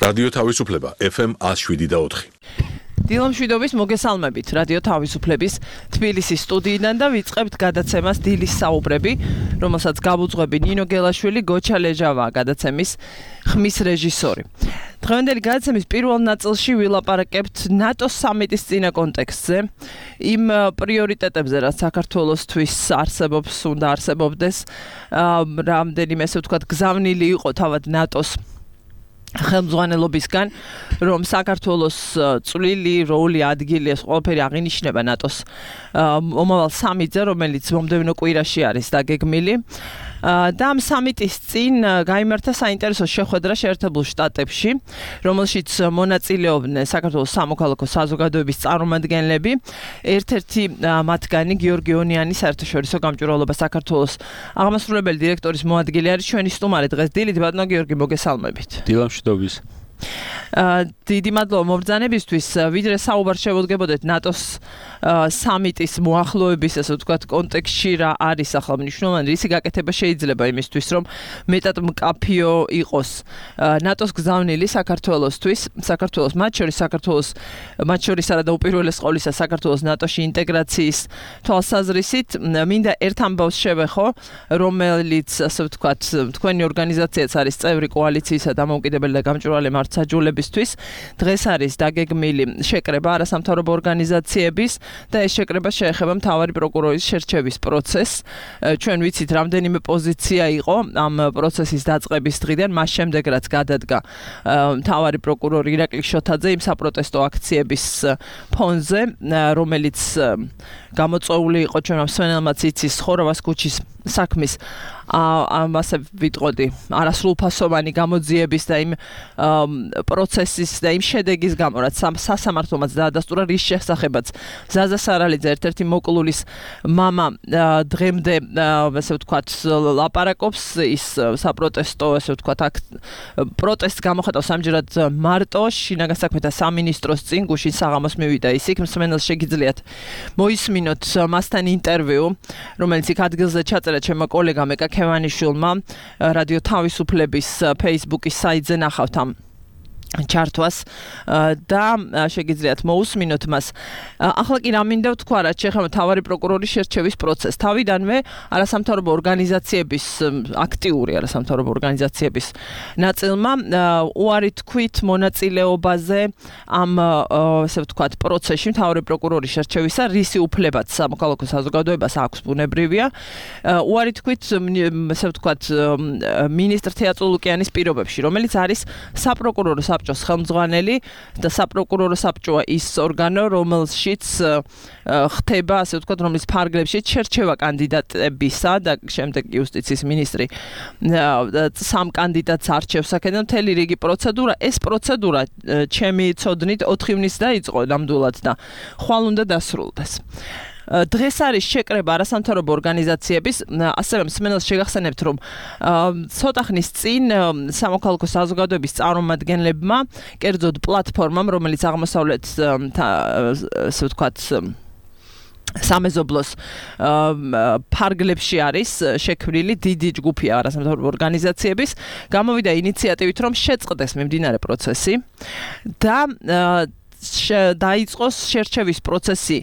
რადიო თავისუფლება FM 107.4. დილამშვიდობის მოგესალმებით რადიო თავისუფლების თბილისის სტუდიიდან და ვიწყებთ გადაცემას დილის საუბრები, რომელსაც გავუძღვები ნინო გელაშვილი, გოჩა ლეჟავა გადაცემის ხმის რეჟისორი. დღევანდელი გადაცემის პირველ ნაწილში ვილაპარაკებთ ნატოს სამიტის წინა კონტექსტზე, იმ პრიორიტეტებზე, რაც საქართველოსთვის არსებობს, უნდა არსებობდეს, რამდენიმე ესე ვთქვათ გზავნილი იყო თავად ნატოს ხელმძღვანელობისგან, რომ საქართველოს წვლილი, როლი, ადგილი ეს ყველაფერი აღინიშნება ნატოს მომავალ სამიტზე, რომელიც მომდევნო კვირაში არის დაგეგმილი. და ამ სამიტის წინ გაიმართა საინტერესო შეხვედრა შეერთებულ შტატებში, რომელშიც მონაწილეობდნენ საქართველოს სამოქალაქო საზოგადოების წარმომადგენლები. ერთ-ერთი მათგანი გიორგი ონიანი, საერთაშორისო გამჭვირვალობა საქართველოს აღმასრულებელი დირექტორის მოადგილე არის ჩვენი სტუმარი დღეს დილით. ბატონო გიორგი, მოგესალმებით. დილამშვიდობის. დიდი მადლობა მობრძანებისთვის. ვიდრე საუბარ შევუდგებოდეთ ნატოს სამიტის მოახლოების, ასე ვთქვათ, კონტექსტში რა არის ახლა მნიშვნელოვანი, რისი გაკეთება შეიძლება იმისთვის, რომ მეტად მკაფიო იყოს ნატოს გზავნილი საქართველოსთვის, საქართველოს მათ შორის არადა უპირველეს ყოვლისა საქართველოს ნატოში ინტეგრაციის თვალსაზრისით. მინდა ერთ ამბავს შევეხო, რომელიც, ასე ვთქვათ, თქვენი ორგანიზაციაც არის წევრი კოალიციისა დამოუკიდებელი და გამჭვირვალე მართლმსაჯულებისთვის. დღეს არის დაგეგმილი შეკრება არასამთავრობო ორგანიზაციების და ეს შეკრება შეეხება მთავარი პროკურორის შერჩევის პროცესს. ჩვენ ვიცით, რამდენიმე პოზიცია იყო ამ პროცესის დაწყების დღიდან, მას შემდეგ რაც გადადგა მთავარი პროკურორი ირაკლი შოთაძე იმ საპროტესტო აქციების ფონზე, რომელიც გამოწვეული იყო ჩვენ მსმენელმაც იცის ხორავას ქუჩის საქმის ასე ვიტყოდი არასრულფასოვანი გამოძიების და იმ პროცესის და იმ შედეგის გამო, რაც სასამართლომაც დაადასტურა, რის შესახებაც ზაზა სარალიძე, ერთ-ერთი მოკლულის მამა, დღემდე ასე ვთქვათ ლაპარაკობს. ის საპროტესტო, ასე ვთქვათ, პროტესტს გამოხატავს ამჯერად მარტო შინაგან საქმეთა სამინისტროს წინ, გუშინ საღამოს მივიდა ის იქ. მსმენელს შეგიძლიათ მოისმინოთ მასთან ინტერვიუ, რომელიც იქ ადგილზე ჩაწერა ჩემმა კოლეგამ ეკა ქევანიშვილმა, რადიო თავისუფლების Facebook-ის საიტზე ნახავთ ამ ჩართვას და შეგიძლიათ მოусმინოთ მას. ახლა კი რა მინდა ვთქვა, რაც შეეხება მთავარი პროკურორის შერჩევის პროცესს. თავიდანვე არასამთავრობო ორგანიზაციების, აქტიური არასამთავრობო ორგანიზაციების ნაწილმა უარი თქვით მონაწილეობაზე ამ ასე ვთქვათ პროცესში მთავარი პროკურორის შერჩევისა, რისი უფლებაც სამოქალაქო საზოგადოებას აქვს ბუნებრივია. უარი თქვით ასე ვთქვათ მინისტრ თეატრო ლუკიანის პირობებში, რომელიც არის საპროკურორო საბჭოს ხელმძღვანელი და საპროკურორო საბჭოა ის ორგანო, რომელშიც ხდება, ასე ვთქვათ, რომლის ფარგლებში შერჩევა კანდიდატებისა და შემდეგ იუსტიციის მინისტრი სამ კანდიდატს არჩევს აქედან მთელი რიგი პროცედურა. ეს პროცედურა ჩემი ცოდნით 4 ივნის დაიწყო ნამდვილად და ხვალ უნდა დასრულდეს. დღეს არის შეკრება არასამთავრობო ორგანიზაციების, ასევე მსმენელს შეგახსენებთ, რომ ცოტა ხნის წინ სამოქალაქო საზოგადოების წარმომადგენლებმა, კერძოდ პლატფორმამ, რომელიც აღმოსავლეთ ასე ვთქვათ სამეზობლოს ფარგლებში არის შექმნილი დიდი ჯგუფი არასამთავრობო ორგანიზაციების, გამოვიდა ინიციატივით, რომ შეწყდეს მიმდინარე პროცესი და დაიწყოს შერჩევის პროცესი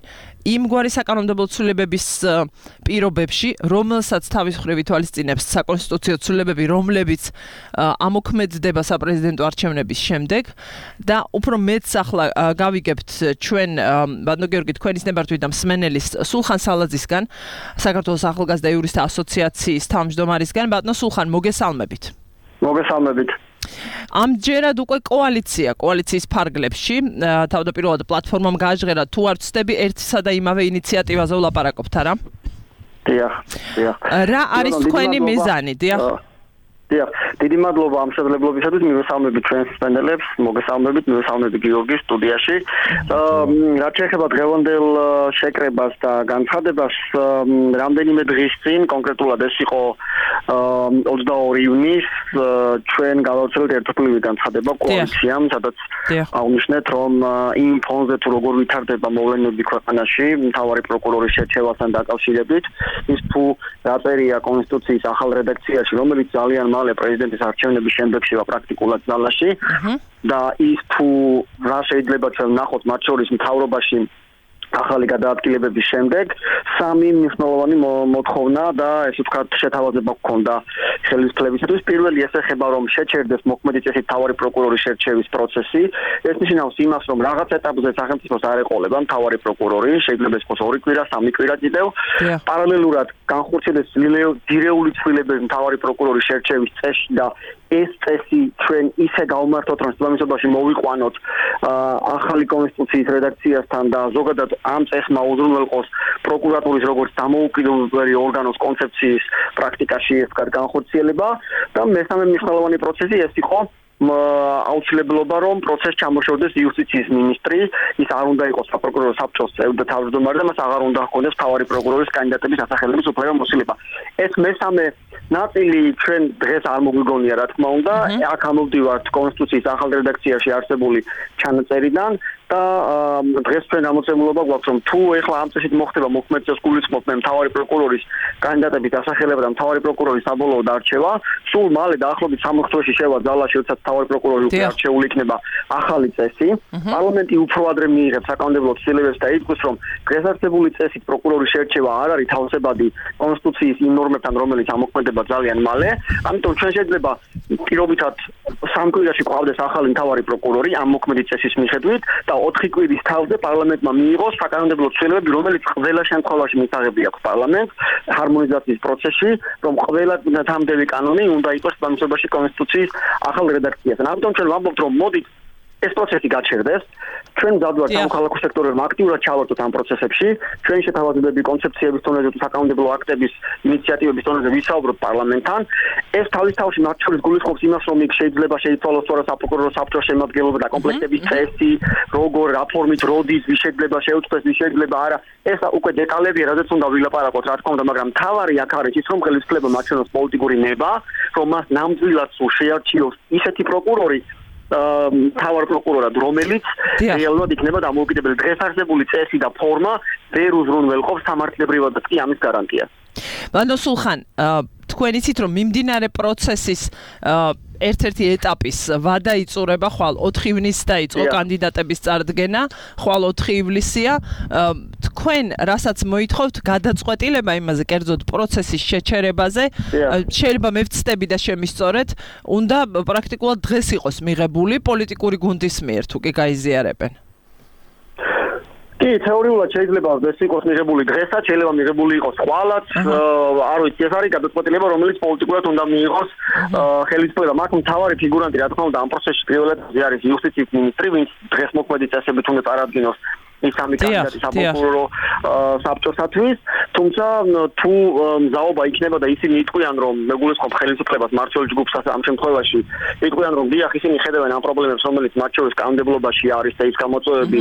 იმგვარი საკანონმდებლო ცვლილებების პირობებში, რომელსაც თავის მხრივ ითვალისწინებს საკონსტიტუციო ცვლილებები, რომლებიც ამოქმედდება საპრეზიდენტო არჩევნების შემდეგ და უფრო მეც ახლა გავიგებთ ჩვენ ბატონო გიორგი თქვენის ნებართვით და მსმენელის სულხან სალაძისგან, საქართველოს ახალგაზრდა იურისტთა ასოციაციის თავმჯდომარისგან. ბატონო სულხან, მოგესალმებით. მოგესალმებით. ამჯერად უკვე კოალიციის ფარგლებში თავდაპირველად პლატფორმამ გააჟღერა, თუ არ ვცდები, ერთსა და იმავე ინიციატივაზე ვლაპარაკობთ, არა? დიახ. რა არის თქვენი მიზანი? დიახ. დიდი მადლობა ამ შესაძლებლობისათვის, მივესალმებით ჩვენს მსმენელებს, მოგესალმებით, მივესალმებით გიორგის სტუდიაში. რაც შეეხება დღევანდელ შეკრებას და განცხადებას, რამდენიმე დღის წინ, კონკრეტულად ეს იყო 22 ივნის, ჩვენ გავავრცელეთ ერთობლივი განცხადება კოალიციამ, სადაც აღნიშნეთ, რომ იმ ფონზე თუ როგორ ვითარდება მოვლენები ქვეყანაში, მთავარი პროკურორის შერჩევასთან დაკავშირებით, ის თუ დაწერია კონსტიტუციის ახალ რედაქციაში, რომელიც ძალიან მალე პრეზიდენტის არჩევნების შემდეგ შევა პრაქტიკულად ძალაში და ის თუ რა შეიძლება ჩვენ ვნახოთ მათ შორის მთავრობაში ახალი გადაადგილებების შემდეგ სამი მნიშვნელოვანი მოთხოვნა და ესე ვთქვათ შეთავაზება გქონდა ხელისუფლებისათვის. პირველი ეს ეხება რომ შეჩერდეს მოქმედი წესით მთავარი პროკურორის შერჩევის პროცესი. ეს ნიშნავს იმას რომ რაღაც ეტაპზე სახელმწიფოს არ ეყოლება მთავარი პროკურორი, შეიძლება იყოს 2 კვირა, 3 კვირა კიდევ. პარალელურად განხორციელდეს ძირეული ცვლილებები მთავარი პროკურორის შერჩევის წესში და ეს წესი ჩვენ ისე გავმართოთ რომ შესაბამისობაში მოვიყვანოთ ახალი კონსტიტუციის რედაქციასთან და ზოგადად ამ წესმა უზრუნველყოს პროკურატურის როგორც დამოუკიდებელი ორგანოს კონცეფციის პრაქტიკაში ეს განხორციელება და მესამე მნიშვნელოვანი პროცესი ეს იყო აუცილებლობა რომ პროცესს ჩამოშორდეს იუსტიციის მინისტრი, ის არ უნდა იყოს საპროკურორო საბჭოს წევრი და თავმჯდომარე და მას აღარ უნდა ჰქონდეს მთავარი პროკურორის კანდიდატების დასახელების უფლება მოსილება. ეს მესამე ნაწილი ჩვენ დღეს არ მოგვიგონია რა თქმა უნდა, აქ ამოვდივართ კონსტიტუციის ახალ რედაქციაში არსებული ჩანაწერიდან და დღეს ჩვენ ამოცემულობა გვაქვს რომ თუ ეხლა ამ წესით მოხდება მოქმედ წესს გულისხმობთ მთავარი პროკურორის კანდიდატების დასახელება და მთავარი პროკურორის საბოლოოდ არჩევა, სულ მალე დაახლოებით 3 თვეში შევა ძალაში, როდესაც მთავარი პროკურორი უკვე არჩეული იქნება ახალი წესი. პარლამენტი უფრო ადრე მიიღებს საკანონმდებლო ცვლილებებს და ითქვის რომ დღეს არსებული წესით პროკურორის შერჩევა არ არის თავსებადი კონსტიტუციის იმ ნორმებთან, რომელიც ამოქმედება ძალიან მალე. ამიტომ ჩვენ შეიძლება პირობითად 3 კვირაში გვყავდეს ახალი მთავარი პროკურორი ამ მოქმედი წესის მიხედვით და 4 კვირის თავზე პარლამენტმა მიიღოს საკანონმდებლო ცვლილებები, რომელიც ყველა შემთხვევაში მისაღები აქვს პარლამენტს ჰარმონიზაციის პროცესში, რომ ყველა თანამდები კანონი უნდა იყოს შესაბამისობაში კონსტიტუციის ახალ რედაქციასთან. ამიტომ ჩვენ ვამბობთ, რომ მოდით ეს პროცესი გაჩერდეს. ჩვენ მზადვართ სამოქალაქო სექტორებმა აქტიურად ჩავართოთ ამ პროცესებში. ჩვენ შეთავაზებები კონცეფციების დონეზე თუ საკანონმდებლო აქტების ინიციატივების დონეზე ვისაუბროთ პარლამენტთან. ეს თავის თავში მათ შორის გულისხმობს იმას, რომ იქ შეიძლება შეიცვალოს თორე საპროკურორო საბჭოს შემადგენლობა და კომპლექტების წესი, როგორ რაფორმით როდის, ვის შეიძლება შეუწყდეს, ვის შეიძლება არა. ეს უკვე დეტალებია, რადგან უნდა ვილაპარაკოთ, რა თქმა უნდა, მაგრამ მთავარი აქ არის ის, რომ ხელისუფლება მაჩვენოს პოლიტიკური ნება, რომ მას ნამდვილად სულ შეარჩიოს ისეთი პროკურორი მთავარ პროკურორად, რომელიც რეალურად იქნება დამოუკიდებელი. დღეს არსებული წესი და ფორმა ვერ უზრუნველყოფს სამართლებრივადაც კი ამის გარანტიას. ბანო სულხან, თქვენ იცით რომ მიმდინარე პროცესის ერთ-ერთი ეტაპის ვადა იწურება ხვალ 4 ივნისს დაიწყო კანდიდატების წარდგენა, ხვალ 4 ივლისია. თქვენ რასაც მოითხოვთ გადაწყვეტილება იმაზე, კერძოდ პროცესის შეჩერებაზე, შეიძლება მე ვცდები და შემისწორეთ, უნდა პრაქტიკულად დღეს იყოს მიღებული პოლიტიკური გუნდის მიერ, თუ კი გაიზიარებენ. კი, თეორიულად შეიძლება ეს იყოს მიღებული დღესაც, შეიძლება მიღებული იყოს ხვალაც, არ ვიცი, ეს არის გადაწყვეტილება, რომელიც პოლიტიკურად უნდა მიიღოს ხელისუფლება. მათ მთავარი ფიგურანტი, რა თქმა უნდა, ამ პროცესში პირველად არის იუსტიციის მინისტრი, ვინც დღეს მოქმედი წესებით უნდა წარადგინოს ის სამი კანდიდატი საპროკურორო საბჭოსათვის, თუმცა თუ მზაობა იქნება და ისინი იტყვიან, რომ მეგულისხმობ ხელისუფლებას მმართველ ჯგუფს ამ შემთხვევაში, იტყვიან, რომ დიახ, ისინი ხედავენ ამ პრობლემებს, რომელიც მათ შორის კანონმდებლობაში არის და ის გამოწვევები,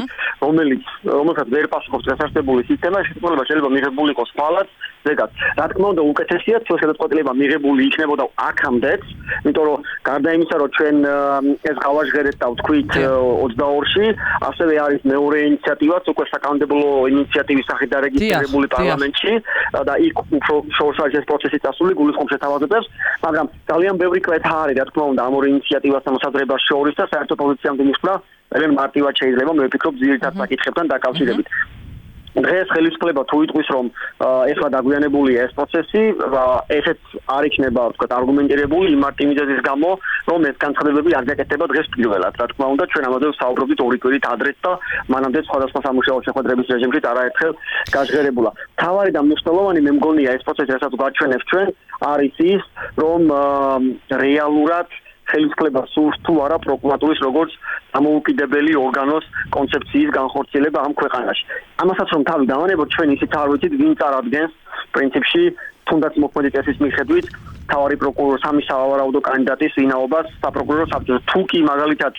რომელსაც ვერ პასუხობს დღესასწაული სისტემა, შესაძლოა შეიძლება მიღებული იყოს ხვალაც, ზეგად. რა თქმა უნდა, უკეთესია თუ გადაწყვეტილება მიღებული იქნებოდა აქამდეც, იმიტომ რომ გარდა იმისა, რომ ჩვენ ეს გავაჟღერეთ და ვთქვით 22-ში, ასევე არის მეორე ინიციატივაც უკვე საკანონმდებლო ინიციატივის სახით დარეგისტრირებული პარლამენტში და იქ უფრო შორს არის ეს პროცესი წასული, გულისხმობს შეთავაზებებს, მაგრამ ძალიან ბევრი კვეთა არის, რა თქმა უნდა, ამ ორი ინიციატივასთან მოსაზრებას შორის და საერთო პოზიციამდე მისვლა ძალიან მარტივად შეიძლება, მე ვფიქრობ, ძირითად საკითხებთან დაკავშირებით. დღეს ხელისუფლება თუ იტყვის, რომ ეხლა დაგვიანებულია ეს პროცესი, ესეც არ იქნება, ვთქვათ, არგუმენტირებული იმ მარტივიზების გამო, რომ ეს განცხადებები არ გაკეთდება დღეს პირველად. რა თქმა უნდა, ჩვენ ამაზე ვსაუბრობთ 2 კვირით ადრეც და მანამდე სხვადასხვა სამუშაო შეხვედრების რეჟიმში არაერთხელ გაჟღერებულა. მთავარი და მნიშვნელოვანი მე მგონია ეს პროცესი, რასაც გვაჩვენებს ჩვენ, არის ის, რომ რეალურად ხელისუფლება სურს თუ არა პროკურატურის როგორც დამოუკიდებელი ორგანოს კონცეფციის განხორციელება ამ ქვეყანაში. ამასაც რომ თავი დავანებოთ, ჩვენ ისიც არ ვიცით, ვინ წარადგენს პრინციპში თუნდაც მოქმედი წესის მიხედვით მთავარი პროკურორი სამი სავარაუდო კანდიდატის ვინაობას საპროკურორო საბჭოს. თუ კი მაგალითად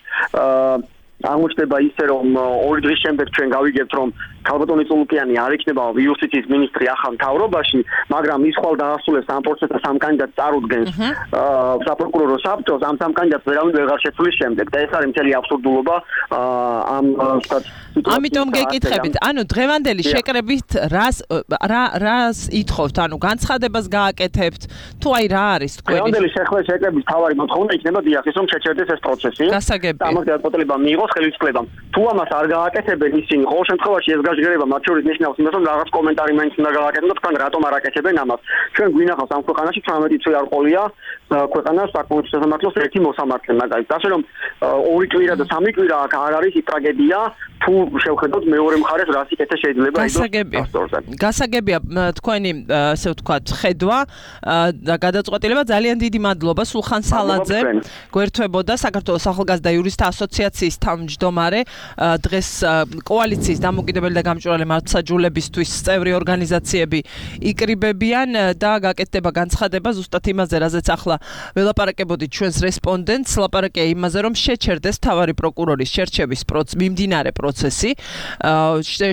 აღმოჩნდება ისე, რომ 2 დღის შემდეგ ჩვენ გავიგებთ, რომ ქალბატონი წულუკიანი არ იქნება იუსტიციის მინისტრი ახალ მთავრობაში, მაგრამ ის ხვალ დაასრულებს ამ პროცესს სამ კანდიდატს წარუდგენს საპროკურორო საბჭოს, ამ სამ კანდიდატს ვერავინ ვეღარ შეცვლის შემდეგ და ეს არის მთელი აბსურდულობა ამ ამიტომ გეკითხებით, ანუ დღევანდელი შეკრებით რას ითხოვთ, ანუ განცხადებას გააკეთებთ, თუ აი რა არის თქვენი? დღევანდელი შეკრების თავარი მოთხოვნა იქნება დიახ, ის რომ შეჩერდეს ეს პროცესი. გასაგები. ამას გადაწყვეტილება მიიღოს ხელისუფლებამ. თუ ამას არ გააკეთებენ ისინი, ყოველ შემთხვევაში ეს გაჟღერება მათ შორის ნიშნავს იმას, რომ რაღაც კომენტარი მაინც უნდა გააკეთონ და თქვენ რატომ არ აკეთებენ ამას. ჩვენ გვინახავს ამ ქვეყანაში 18 წელი არ ყოლია ქვეყანას საკონსტიტუციო სამართლოს ერთი მოსამართლე მაგალითად. ასე რომ 2 კვირა და 3 კვირა აქ არ არის ტრაგედია, თუ შევხედოთ მეორე მხარეს რას იკეთე შეიძლება იდოს. გასაგებია თქვენი ასე ვთქვათ ხედვა და გადაწყვეტილება. ძალიან დიდი მადლობა სულხან სალაძე. გვერდთვებოდა საქართველოს ახალგაზრდა იურისტთა ასოციაციის თავმჯდომარე, დღეს კოალიციის დამოუკიდებელი და გამჭვირვალე მართლმსაჯულებისთვის წევრი ორგანიზაციები იკრიბებიან და გაკეთდება განცხადება ზუსტად იმაზე, რაზეც ახლა ველაპარაკებოდით ჩვენს რესპონდენტს, ლაპარაკია იმაზე, რომ შეჩერდეს მთავარი პროკურორის შერჩევის მიმდინარე პროცესი,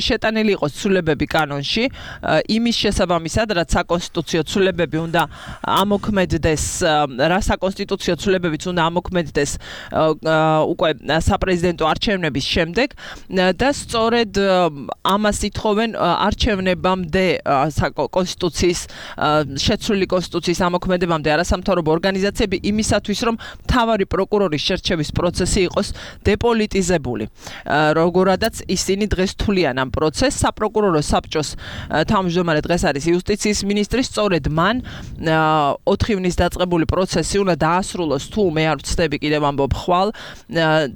შეტანილი იყოს ცვლილებები კანონში, იმის შესაბამისად, რაც საკონსტიტუციო ცვლილებები უნდა ამოქმედდეს, რა საკონსტიტუციო ცვლილებებიც უნდა ამოქმედდეს უკვე საპრეზიდენტო არჩევნების შემდეგ და სწორედ ამას ითხოვენ არჩევნებამდე კონსტიტუციის შეცვლილი კონსტიტუციის ამოქმედებამდე არასამთავრობო ორგანიზაციები იმისათვის, რომ მთავარი პროკურორის შერჩევის პროცესი იყოს დეპოლიტიზებული. როგორადაც ისინი დღეს თვლიან ამ პროცესს, საპროკურორო საბჭოს თავმჯდომარე დღეს არის იუსტიციის მინისტრი, სწორედ მან 4 ივნის დაწყებული პროცესი უნდა დაასრულოს, თუ მე არ ვცდები კიდევ ამბობ ხვალ,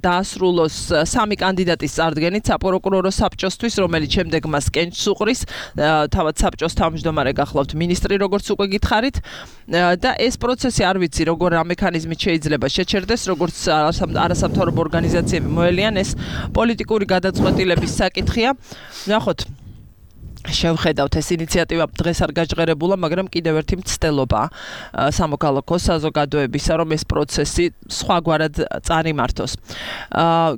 დაასრულოს 3 კანდიდატის წარდგენით საპროკურორო საბჭოსთვის, რომელიც შემდეგ მას კენჭს უყრის, თავად საბჭოს თავმჯდომარე გახლავთ მინისტრი, როგორც უკვე გითხარით, და ეს პროცესი არ ვიცი, როგორ რა მექანიზმით შეიძლება შეჩერდეს, როგორც არასამთავრობო ორგანიზაციები მოელიან, ეს პოლიტიკური გადაწყვეტილების საკითხია. ნახოთ, შევხედავთ ეს ინიციატივა დღეს არ გაჟღერებულა, მაგრამ კიდევ ერთი მცდელობა სამოქალაქო საზოგადოებისა, რომ ეს პროცესი სხვაგვარად წარიმართოს.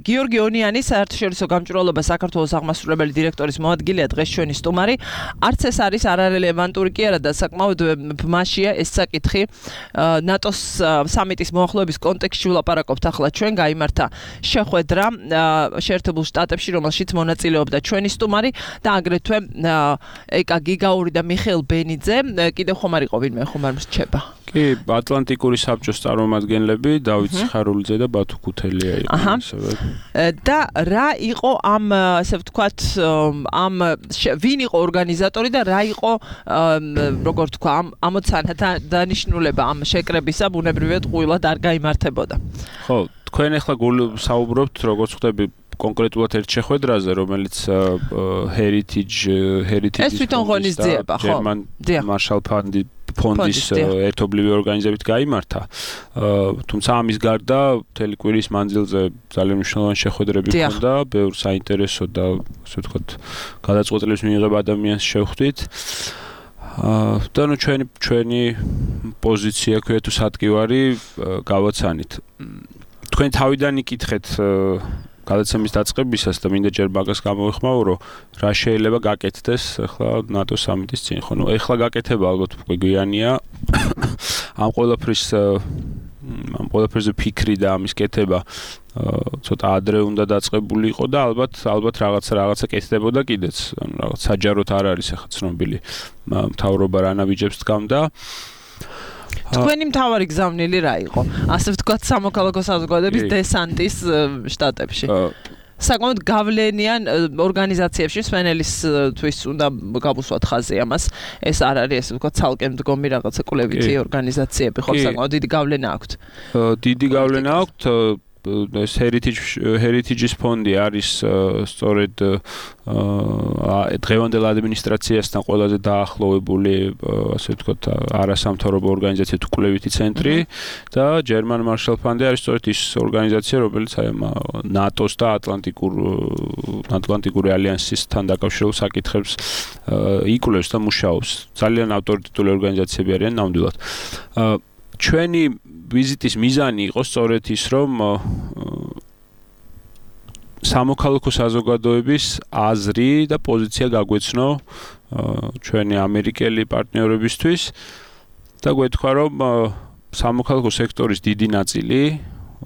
გიორგი ონიანი, საერთაშორისო გამჭვირვალობა საქართველოს აღმასრულებელი დირექტორის მოადგილეა, დღეს ჩვენი სტუმარი. არც ეს არის არარელევანტური კი არა და საკმაოდ ბმაშია ეს საკითხი. ნატოს სამიტის მოახლოების კონტექსტში ვლაპარაკობთ ახლა ჩვენ, გაიმართა შეხვედრა შეერთებულ შტატებში, რომელშიც მონაწილეობდა ჩვენი სტუმარი და აგრეთვე ეკა გიგაური და მიხეილ ბენიძე, კიდევ ხომ არ იყო ვინმე, ხომ არ მსჩება. კი, ატლანტიკური საბჭოს წარმომადგენლები, დავით სიხარულიძე და ბათუ ქუთელია იყვნენ ასევე. და რა იყო ამ, ასე ვთქვათ, ვინ იყო ორგანიზატორი და რა იყო, როგორ თქვა, ამოცანა დანიშნულება ამ შეკრებისა, ბუნებრივად ყვილად არ გაიმართებოდა. ხო, თქვენ ახლა საუბრობთ, როგორც ხვდები, კონკრეტულად ერთ შეხვედრაზე, რომელიც Heritage ეს თვითონ ღონისძიება, ხო? Marshall ფონდის ერთობლივი ორგანიზებით გაიმართა. თუმცა ამის გარდა მთელი კვირის მანძილზე ძალიან მნიშვნელოვანი შეხვედრები ჰქონდა, ბევრ საინტერესო და ასე ვთქვათ, გადაწყვეტილების მიღება ადამიანს შევხვდით. და ნუ ჩვენი პოზიცია ქვია თუ სატკივარი გავაცანით. თქვენ თავიდან იკითხეთ გადაცემის დაწყებისას და მინდა ჯერ მაგას გამოვიხმაურო, რა შეიძლება გაკეთდეს ახლა ნატოს სამიტის წინ. ხო, ნუ ახლა გაკეთება ალბათ უკვე გვიანია. ამ ყველაფერზე ფიქრი და ამის კეთება ცოტა ადრე უნდა დაწყებული იყო და ალბათ რაღაცა კეთდებოდა კიდეც. ანუ რაღაც საჯაროდ არ არის ახლა ცნობილი მთავრობა რა ნაბიჯებს დგამდა. თქვენი მთავარი გზავნილი რა იყო? ასე ვთქვათ, სამოქალაქო საზოგადოების დესანტის შტატებში. საკმაოდ გავლენიან ორგანიზაციებში სვენელისთვის უნდა გავუსვათ ხაზი ამას. ეს არ არის, ასე ვთქვათ, ცალკე მდგომი რაღაცა კვლევითი ორგანიზაციები, ხო, საკმაოდ დიდი გავლენა აქვთ. დიდი გავლენა აქვთ. ეს Heritage-ის ფონდი არის სწორედ დღევანდელ ადმინისტრაციასთან ყველაზე დაახლოვებული, ასე ვთქვათ, არასამთავრობო ორგანიზაცია თუ კვლევითი ცენტრი და German Marshall Fund არის სწორედ ის ორგანიზაცია, რომელიც აი ნატოს და ატლანტიკური ალიანსისთან დაკავშირებულ საკითხებს იკვლევს და მუშაობს. ძალიან ავტორიტეტული ორგანიზაციები არიან ნამდვილად. ჩვენი ვიზიტის მიზანი იყო სწორედ ის, რომ სამოქალაქო საზოგადოების აზრი და პოზიცია გაგვეცნო ჩვენი ამერიკელი პარტნიორებისთვის და გვეთქვა რომ სამოქალაქო სექტორის დიდი ნაწილი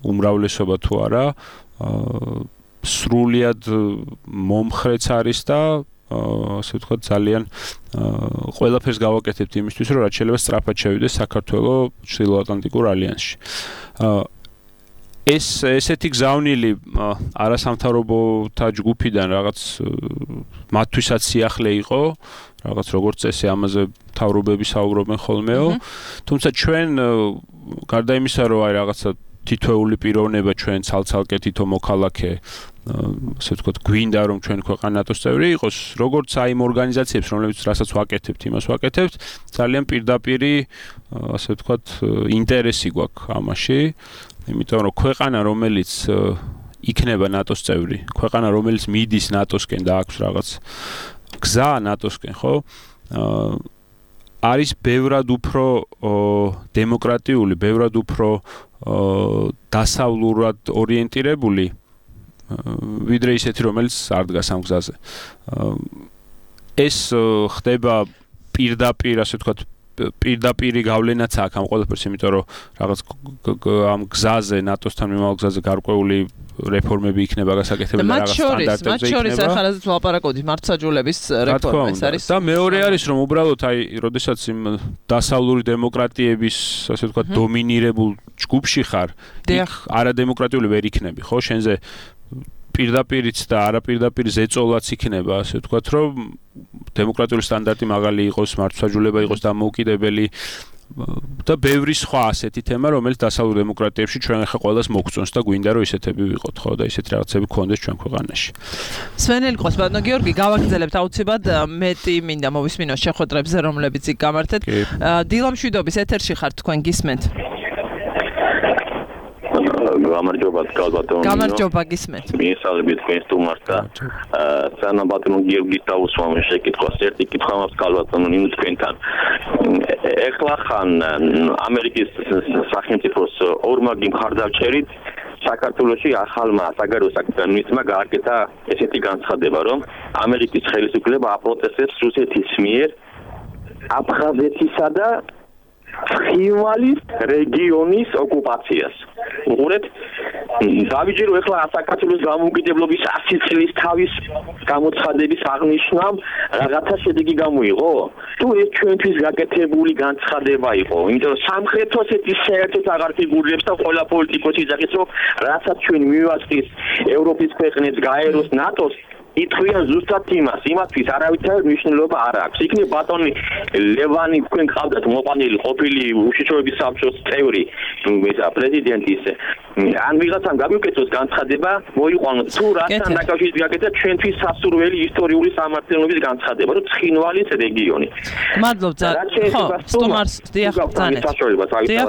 უმრავლესობა თუ არა სრულიად მომხრეც არის და ასე ვთქვათ ძალიან ყველაფერს გავაკეთებთ იმისთვის რომ რაც შეიძლება სწრაფად შევიდეს საქართველოს ჩრდილოატლანტიკურ ალიანსში. ესეთი გზავნილი არასამთავრობოთა ჯგუფიდან რაღაც მათთვისაც სიახლე იყო, რაღაც როგორც წესი ამაზე მთავრობები საუბრობენ ხოლმეო, თუმცა ჩვენ გარდა იმისა რომ აი რაღაცა თითოეული პიროვნება ჩვენ ცალ-ცალკე თითო მოქალაქე ასე ვთქვათ გვინდა რომ ჩვენ ქვეყანა ნატოს წევრი იყოს, როგორც აი იმ ორგანიზაციებს რომლებიც რასაც ვაკეთებთ, იმას ვაკეთებთ, ძალიან პირდაპირი ასე ვთქვათ ინტერესი გვაქვს ამაში, იმიტომ რომ ქვეყანა რომელიც იქნება ნატოს წევრი, ქვეყანა რომელიც მიდის ნატოსკენ და აქვს რაღაც გზა ნატოსკენ, ხო? არის ბევრად უფრო დემოკრატიული, ბევრად უფრო დასავლურად ორიენტირებული ვიდრე ისეთი რომელიც არ დგას ამ გზაზე. ეს ხდება პირდაპირ, ასე ვთქვათ, პირდაპირი გავლენაც აქვს ამ ყველაფერს, იმიტომ რომ რაღაც ამ გზაზე, ნატოსთან მიმავალ გზაზე გარკვეული რეფორმები იქნება გასაკეთებელი და რაღაც სტანდარტებზე იქნება. მათ შორის ახალაზრდა ვლაპარაკობთ მართლმსაჯულების რეფორმის არის. და მეორე არის რომ უბრალოდ აი, როდესაც იმ დასავლური დემოკრატიების, ასე ვთქვათ, დომინირებულ ჯგუფში ხარ, არადემოკრატიული ვერ იქნები, ხო? შენზე პირდაპირიც და არაპირდაპირ ზეწოლაც იქნება, ასე ვთქვათ, რომ დემოკრატიული სტანდარტი მაღალი იყოს, მართლმსაჯულება იყოს დამოუკიდებელი და ბევრი სხვა ასეთი თემა, რომელიც დასავლურ დემოკრატიებში ჩვენ ახლა ყველას მოგწონს და გვინდა რომ ისეთები ვიყოთ, ხო, და ისეთი რაღაცები გქონდეს ჩვენ ქვეყანაში. სვენელი ყოს ბატონო გიორგი, გავაგრძელებთ აუცილებლად მეტი მინდა მოვისმინოთ შეხვედრებზე, რომლებიც იქ გამართეთ. დილამშვიდობის ეთერში ხართ თქვენ გისმენთ. გამარჯობა ბატონო. გამარჯობა გისმენთ. მიესალმებით თქვენ სტუმარს და სანამ ბატონო გიორგის დაუსვამ შეკითხვას ერთი კითხვა მაქვს ბატონო ნინო თქვენთან. ეხლა ხან ამერიკის სახელმწიფოს ორმაგი მხარდამჭერით საქართველოში ახალმა საგარეო საქმეთა მინისტრმა გააკეთა ესეთი განცხადება, რომ ამერიკის ხელისუფლება აპროტესტებს რუსეთის მიერ აფხაზეთისა და ხივალის რეგიონის ოკუპაციას. უყურეთ, დავიჯერო ეხლა საქართველოს გამოუკიდებლობის 100 წლის თავის გამოცხადების აღნიშვნამ რაღაცა შედეგი გამოიღო? თუ ეს ჩვენთვის გაკეთებული განცხადება იყო, იმიტომ რომ სამხრეთოს ეს საერთოდ აღარ ფიგურირებს და ყველა პოლიტიკოსი იზახის, რომ რასაც ჩვენ მივაწყის ევროპის ქვეყნებს გაეროს ნატოს ითქვიან ზუსტად იმათთვის არავითარი მნიშვნელობა არ აქვს. იქნებ ბატონი ლევანი თქვენ ყავდათ მოყვანილი ყოფილი უშიშროების საბჭოს წევრი, პრეზიდენტი ისე. ან ვიღაცამ გამიკეთოს განცხადება, მოიყვანოთ თუ რასთან დაკავშირებით გაკეთა ჩვენთვის სასურველი ისტორიული სამართლიანობის განცხადება, რომ ცხინვალის რეგიონი. მადლობთ. ხო, სტუმარს დიახ, ბრძანეთ.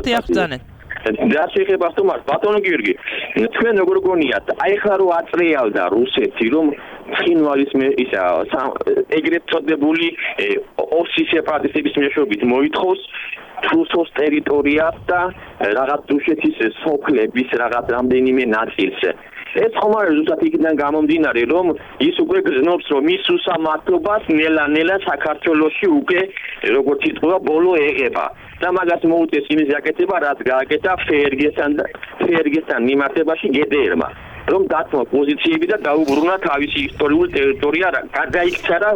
დიახ, ბრძანეთ. და შეიძლება სტუმარს ბატონო გიორგი, თქვენ როგორ გონიათ, აი ხა რო აწრიალდა რუსეთი, რომ ცხინვალის ისა ეგრეთ წოდებული ოსის სეპარატისტების მეშვეობით მოითხოვს რუსოს ტერიტორიას და რაღაც რუსეთის სოფლების რაღაც რამდენიმე ნაწილს. ეს ხომ არის ზუსტად იქიდან გამომდინარე, რომ ის უკვე გზნობს, რომ ის უსამართლობას ნელა-ნელა საქართველოში უკვე როგორც იტყვა ბოლო ეღება. და მაგას მოუწეს იმის გაკეთება, რაც გააკეთა ფერგესთან მიმართებაში გედერმა, რომ დათმო პოზიციები და დაუბრუნა თავისი ისტორიული ტერიტორია, გადაიქცა რა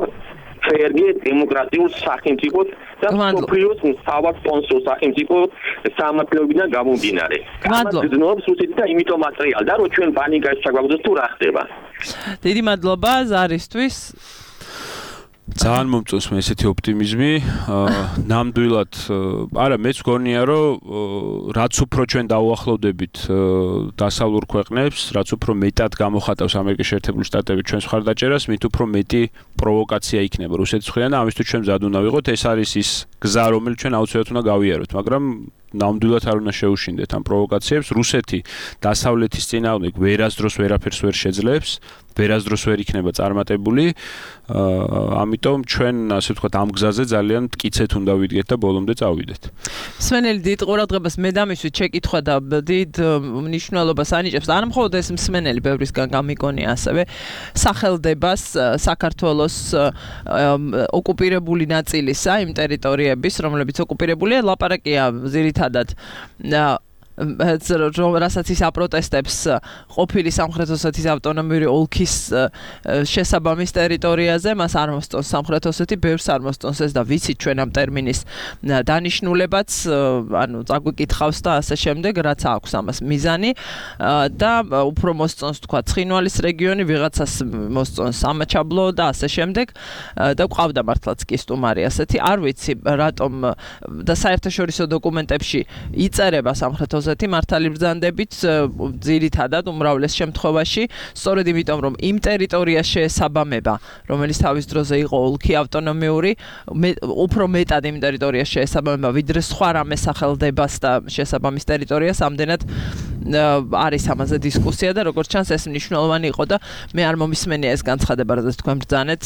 ფერგე დემოკრატიულ სახელმწიფოს და სოფლიოს მთავარ სპონსორ სახელმწიფოს სამართლებიდან გამომდინარე. მადლობა. გზნობს რუსეთი და იმიტომ აწრიალდა, რომ ჩვენ პანიკაში ჩაგვაგდოს თუ რა ხდება. დიდი მადლობა ზარისთვის. ძალიან მომწონს მე ესეთი ოპტიმიზმი. ნამდვილად, არა, მეც გონია, რომ რაც უფრო ჩვენ დაუახლოვდებით დასავლურ ქვეყნებს, რაც უფრო მეტად გამოხატავს ამერიკის შეერთებული შტატები ჩვენს მხარდაჭერას, მით უფრო მეტი პროვოკაცია იქნება რუსეთის მხრიდან და ამისთვის ჩვენ მზად უნდა ვიყოთ. ეს არის ის გზა, რომელიც ჩვენ აუცილებლად უნდა გავიაროთ, მაგრამ ნამდვილად არ უნდა შეუშინდეთ ამ პროვოკაციებს. რუსეთი დასავლეთის წინააღმდეგ ვერასდროს ვერაფერს ვერ შეძლებს, ვერასდროს ვერ იქნება წარმატებული. ამიტომ ჩვენ, ასე ვთქვათ, ამ გზაზე ძალიან მტკიცედ უნდა ვიდგეთ და ბოლომდე წავიდეთ. მსმენელი დიდ ყურადღებას მე დამისვით შეკითხვა და დიდ მნიშვნელობას ანიჭებს. არა მხოლოდ ეს მსმენელი, ბევრისგან გამიგონია ასევე სახელდებას საქართველოს ოკუპირებული ნაწილისა, იმ ტერიტორიების, რომლებიც ოკუპირებულია, ლაპარაკია ძირითადად რასაც ის აპროტესტებს ყოფილი სამხრეთ ოსეთის ავტონომიური ოლქის შესაბამის ტერიტორიაზე, მას არ მოსწონს სამხრეთ ოსეთი, ბევრს არ მოსწონს ეს და ვიცით ჩვენ ამ ტერმინის დანიშნულებაც, ანუ წაგვიკითხავს და ასე შემდეგ, რაც აქვს ამას მიზანი და უფრო მოსწონს თქვა ცხინვალის რეგიონი, ვიღაცას მოსწონს სამაჩაბლო და ასე შემდეგ და ყავდა მართლაც კი სტუმარი ასეთი, არ ვიცი რატომ და საერთაშორისო დოკუმენტებში იწერება სამხრეთ მართალი ბრძანდებით ძირითადად უმრავლეს შემთხვევაში სწორედ იმიტომ რომ იმ ტერიტორიას შეესაბამება რომელიც თავის დროზე იყო ოლქი ავტონომიური უფრო მეტად იმ ტერიტორიას შეესაბამება ვიდრე სხვა რამე სახელდებას და შესაბამის ტერიტორიას ამდენად არის ამაზე დისკუსია და როგორც ჩანს ეს მნიშვნელოვანი იყო და მე არ მომისმენია ეს განცხადება რაც თქვენ ბრძანეთ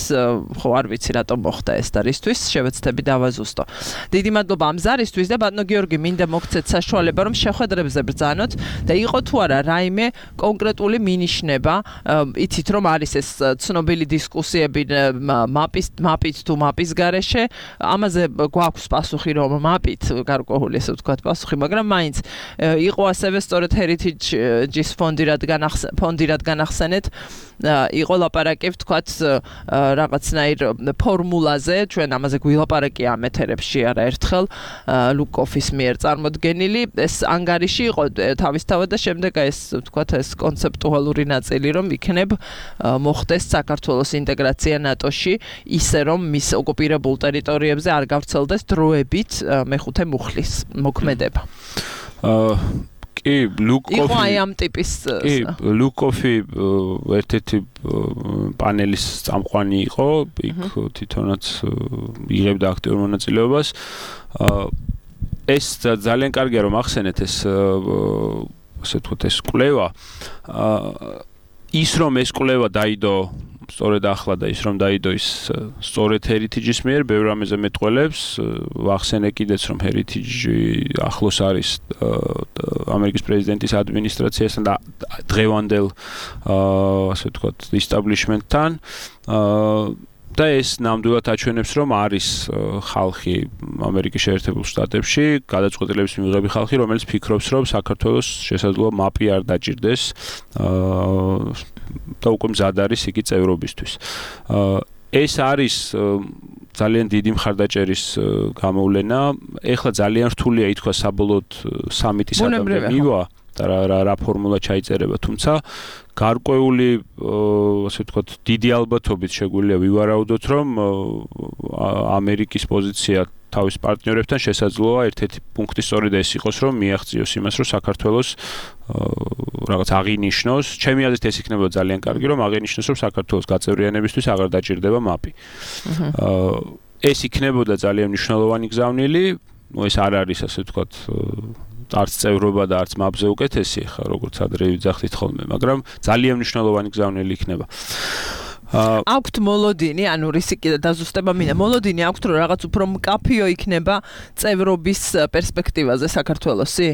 ხო არ ვიცი რატომ მოხდა ეს და რისთვის შევეცდები დავაზუსტო დიდი მადლობა ამ ზარისთვის და ბატონო გიორგი მინდა მოგცეთ საშუალება რომ შეხვედრებზე ბრძანოთ და იყო თუ არა რაიმე კონკრეტული მინიშნება იცით რომ არის ეს ცნობილი დისკუსიები მაპით თუ მაპის გარეშე ამაზე გვაქვს პასუხი რომ მაპით გარკვეული ესე ვთქვათ პასუხი მაგრამ მაინც იყო ასევე სწორედ Heritage-ის ფონდი რადგან ახსენეთ იყო ლაპარაკი ვთქვათ რაღაცნაირ ფორმულაზე ჩვენ ამაზე გვილაპარაკია ამ ეთერებში არაერთხელ ლუკოფის მიერ წარმოდგენილი ეს ანგარიში იყო თავისთავად და შემდეგ ეს ვთქვათ ეს კონცეპტუალური ნაწილი რომ იქნებ მოხდეს საქართველოს ინტეგრაცია ნატოში ისე რომ მის ოკუპირებულ ტერიტორიებზე არ გავრცელდეს დროებით მეხუთე მუხლის მოქმედება კი იყო აი ამ ტიპის ლუკოფი ერთ-ერთი პანელის წამყვანი იყო იქ თვითონაც იღებდა აქტიურ მონაწილეობას ეს ძალიან კარგია რომ ახსენეთ ეს ასე ვთქვათ ეს კვლევა ის რომ ეს კვლევა დაიდო სწორედ ახლა და ის რომ დაიდო ის სწორედ Heritage-ის მიერ ბევრ რამეზე მეტყველებს ვახსენე კიდეც რომ Heritage ახლოს არის ამერიკის პრეზიდენტის ადმინისტრაციასთან და დღევანდელ ასე ვთქვათ establishment-თან და ეს ნამდვილად აჩვენებს რომ არის ხალხი ამერიკის შეერთებულ შტატებში გადაწყვეტილების მიღები ხალხი რომელიც ფიქრობს რომ საქართველოს შესაძლოა მაპი არ დაჭირდეს და უკვე მზად არის იგი წევრობისთვის ეს არის ძალიან დიდი მხარდაჭერის გამოვლენა ეხლა ძალიან რთულია ითქვა საბოლოოდ სამიტის ადამდე მივა და რა ფორმულა ჩაიწერება თუმცა გარკვეული ასე ვთქვათ დიდი ალბათობით შეგვიძლია ვივარაუდოთ რომ ამერიკის პოზიცია თავის პარტნიორებთან შესაძლოა ერთ-ერთი პუნქტი სწორედ ეს იყოს რომ მიაღწიოს იმას რომ საქართველოს რაღაც აღინიშნოს ჩემი აზრით ეს იქნება ძალიან კარგი რომ აღინიშნოს რომ საქართველოს გაწევრიანებისთვის აღარ დაჭირდება მაპი ეს იქნებოდა ძალიან მნიშვნელოვანი გზავნილი ეს არ არის ასე ვთქვათ არც წევრობა და არც მაპზე უკეთესი ხა როგორც ადრე ვიძახით ხოლმე მაგრამ ძალიან მნიშვნელოვანი გზავნილი იქნება აქვთ მოლოდინი ანუ რისკი და დაზუსტება მინდა მოლოდინი აქვთ რომ რაღაც უფრო მკაფიო იქნება წევრობის პერსპექტივაზე საქართველოსი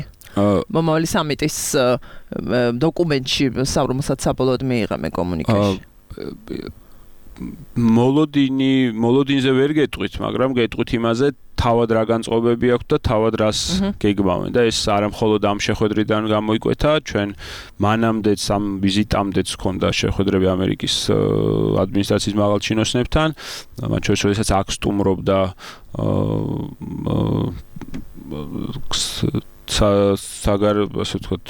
მომავალი სამიტის დოკუმენტში რომელსაც საბოლოოდ მიიღαμε კომუნიკეში მოლოდინზე ვერ გეტყვით მაგრამ გეტყვით იმაზე თავად რა განწყობები აქვს და თავად რას გეგმავენ და ეს არა მხოლოდ ამ შეხვედრიდან გამოიკვეთა ჩვენ მანამდეც ამ ვიზიტამდეც ჰქონდა შეხვედრები ამერიკის ადმინისტრაციის მაღალჩინოსნებთან მათ შორის როდესაც აქ სტუმრობდა ასე ვთქვათ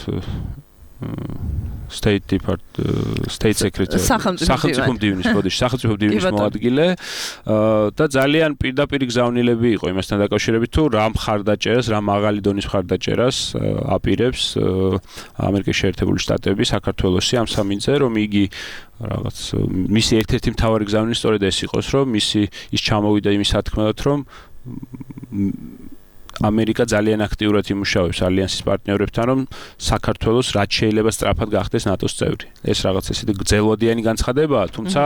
State Secretary სახელმწიფო მდივნის მოადგილე და ძალიან პირდაპირ გზავნილები იყო იმასთან დაკავშირებით თუ რა მხარდაჭერას რა მაღალი დონის მხარდაჭერას აპირებს ამერიკის შეერთებული შტატები საქართველოსი ამ სამინზე რომ იგი რაღაც მისი ერთ-ერთი მთავარი გზავნილი სწორედ ეს იყოს რომ ის ჩამოვიდა იმის სათქმელად რომ ამერიკა ძალიან აქტიურად იმუშავებს ალიანსის პარტნიორებთან, რომ საქართველოს რაც შეიძლება სწრაფად გახდეს ნატოს წევრი. ეს რაღაც ესეთი გრძელვადიანი განცხადებაა, თუმცა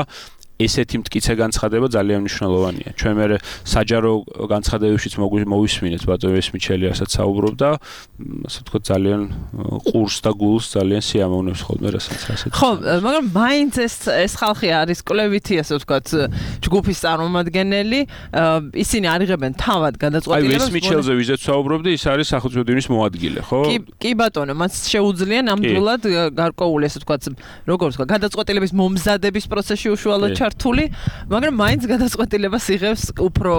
ესეთი მტკიცე განცხადება ძალიან მნიშვნელოვანია. ჩვენ მე საჯარო განცხადებებშიც მოვისმინეთ ბატონი მიშელი რასაც საუბრობდა, ასე ვთქვათ ძალიან ყურს და გულს ძალიან სიამოვნებს ხოლმე რასაც ასეთ. ხო, მაგრამ მაინც ეს ხალხი არის კვლევითი, ასე ვთქვათ, ჯგუფის წარმომადგენელი, ისინი არიღებენ თავად გადაწყვეტილებას. აი, ეს მიშელზე ვიზეთ საუბრობდი, ის არის სახელმწიფო დინის მოადგილე, ხო? კი ბატონო, მას შეუძლია ნამდვილად გარკვეული, ასე ვთქვათ, როგორ ვთქვა, გადაწყვეტილების მომზადების პროცესში უშუალოდ ჩართული, მაგრამ მაინც გადაწყვეტილებას იღებს უფრო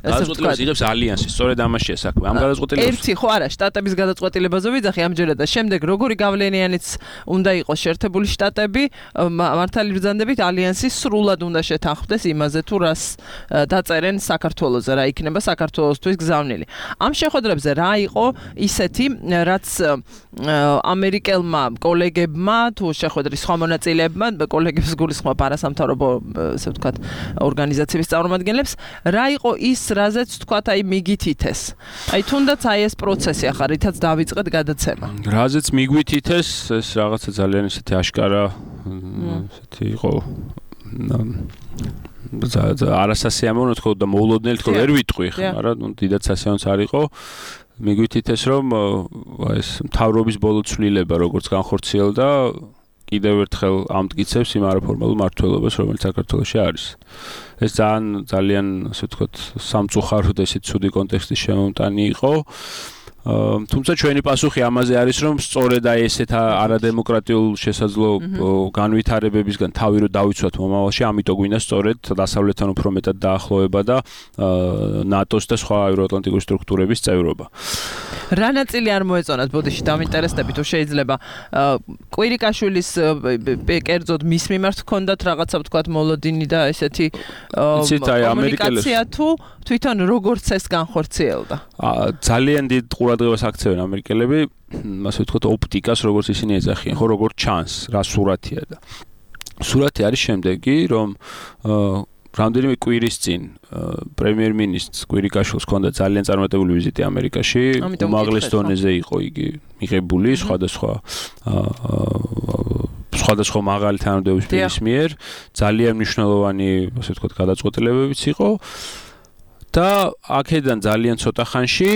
ასე ვთქვათ, იღებს ალიანსი, სწორედ ამაშია საქმე. ამ გადაწყვეტილებას ერთი ხო არა, შტატების გადაწყვეტილებაზე ვიძახი ამჯერად და შემდეგ როგორი გავლენიანიც უნდა იყოს შეერთებული შტატები, მართალი ბრძანდებით ალიანსი სრულად უნდა შეთანხმდეს იმაზე თუ რას დაწერენ საქართველოზე, რა იქნება საქართველოსთვის გზავნილი. ამ შეხვედრებზე რა იყო ისეთი, რაც ამერიკელმა კოლეგებმა თუ შეხვედრის სხვა მონაწილეებმა, კოლეგებს გულისხმობ არასამთავრობო, ასე ვთქვათ, ორგანიზაციების წარმომადგენლებს, რა იყო ის, რაზეც ვთქვათ, აი მიგითითეს. აი თუნდაც აი ეს პროცესი ახლა რითაც დავიწყეთ გადაცემა. რაზეც მიგვითითეს, ეს რაღაცა ძალიან ისეთი აშკარა ესეთი იყო არასასიამოვნო თქო და მოულოდნელი თქო ვერ ვიტყვი ხა, მაგრამ დიდად სასიამოვნოც არ იყო. მიგვითითეს რომ ეს მთავრობის ბოლო ცვლილება როგორც განხორციელდა კიდევ ერთხელ ამტკიცებს იმ არაფორმალურ მმართველობას, რომელიც საქართველოში არის. ეს ძალიან ასე ვთქვათ, სამწუხაროდ ესეთ ცუდი კონტექსტის შემომტანი იყო. თუმცა ჩვენი პასუხი ამაზე არის, რომ სწორედ აი ესეთ არადემოკრატიულ შესაძლო განვითარებებისგან თავი რო დავიცვათ მომავალში, ამიტომ გვინდა სწორედ დასავლეთთან უფრო მეტად დაახლოება და ნატოს და სხვა ევროატლანტიკური სტრუქტურების წევრობა. რა ნაწილი არ მოეწონათ ბოდიში დამინტერესდები თუ შეიძლება კვირიკაშვილის კერძოდ მის მიმართ ჰქონდათ რაღაცა ვთქვათ მოლოდინი და ესეთი კომუნიკაცია თუ თვითონ როგორც ეს განხორციელდა. ძალიან დიდ ყურადღებას აქცევენ ამერიკელები, ასე ვთქვათ, ოპტიკას, როგორც ისინი ეძახიან, ხო, როგორც ჩანს, რა სურათია და სურათი არის შემდეგი, რომ რამდენიმე კვირის წინ პრემიერ-მინისტრს კვირიკაშვილს ჰქონდა ძალიან წარმატებული ვიზიტი ამერიკაში, უმაღლეს დონეზე იყო იგი მიღებული სხვადასხვა მაღალი თანამდებობის პირის მიერ, ძალიან მნიშვნელოვანი, ასე ვთქვათ, გადაწყვეტილებებიც იყო და აქედან ძალიან ცოტა ხანში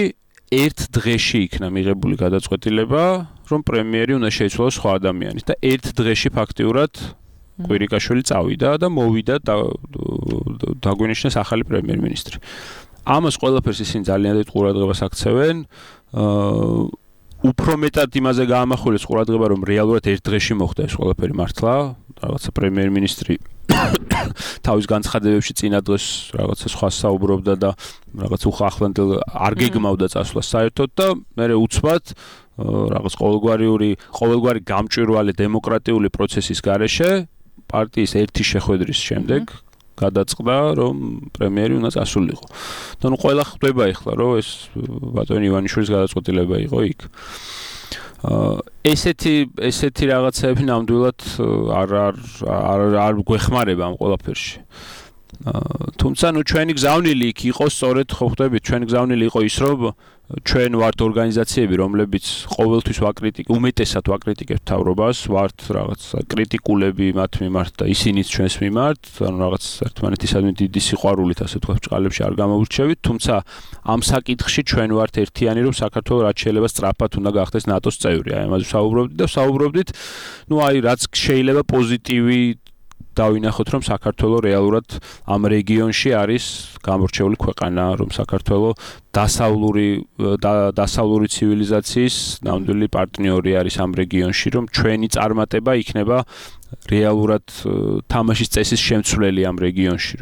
ერთ დღეში იქნა მიღებული გადაწყვეტილება, რომ პრემიერი უნდა შეიცვალოს სხვა ადამიანის და ერთ დღეში ფაქტიურად კვირიკაშვილი წავიდა და მოვიდა დაგვინიშნეს ახალი პრემიერ-მინისტრი. ამას ყველაფერს ისინი ძალიან დიდ ყურადღებას აქცევენ. უფრო მეტად იმაზე გაამახვილეს ყურადღება, რომ რეალურად ერთ დღეში მოხდა ეს ყველაფერი მართლა, რაღაცა პრემიერ-მინისტრი თავის განცხადებებში წინა დღეს რაღაცა სხვა საუბრობდა და რაღაც უხახლანდელ არ გეგმავდა წასვლა საერთოდ და მე უცბად რაღაც ყოველგვარი გამჭვირვალე დემოკრატიული პროცესის გარეშე პარტიის ერთი შეხვედრის შემდეგ გადაწყდა, რომ პრემიერი უნდა წასულიყო. და ნუ ყველა ხვდება ახლა, რომ ეს ბატონი ივანიშვილის გადაწყვეტილება იყო იქ. ესეთი რაღაცები ნამდვილად არ გვეხმარება ამ ყველაფერში. თუმცა ნუ ჩვენი გზავნილი იქ იყო სწორედ ხო ხვდებით, ჩვენი გზავნილი იყო ის, რომ ჩვენ ვართ ორგანიზაციები, რომლებიც ყოველთვის უმეტესად ვაკრიტიკებთ მთავრობას, ვართ რაღაც კრიტიკულები მათ მიმართ და ისინიც ჩვენს მიმართ, ანუ რაღაც ერთმანეთისადმი დიდი სიყვარულით ასე თქვა ბჭყალებში არ გამოვრჩევით, თუმცა ამ საკითხში ჩვენ ვართ ერთიანი, რომ საქართველოს რაც შეიძლება სწრაფად უნდა გახდეს ნატოს წევრი. აი ამაზე საუბრობდით, ნუ აი რაც შეიძლება პოზიტივი დავინახოთ, რომ საქართველოს რეალურად ამ რეგიონში არის გამორჩეული ქვეყანა, რომ საქართველოს დასავლური ცივილიზაციის ნამდვილი პარტნიორი არის ამ რეგიონში, რომ ჩვენი წარმატება იქნება რეალურად თამაშის წესის შემცვლელი ამ რეგიონში,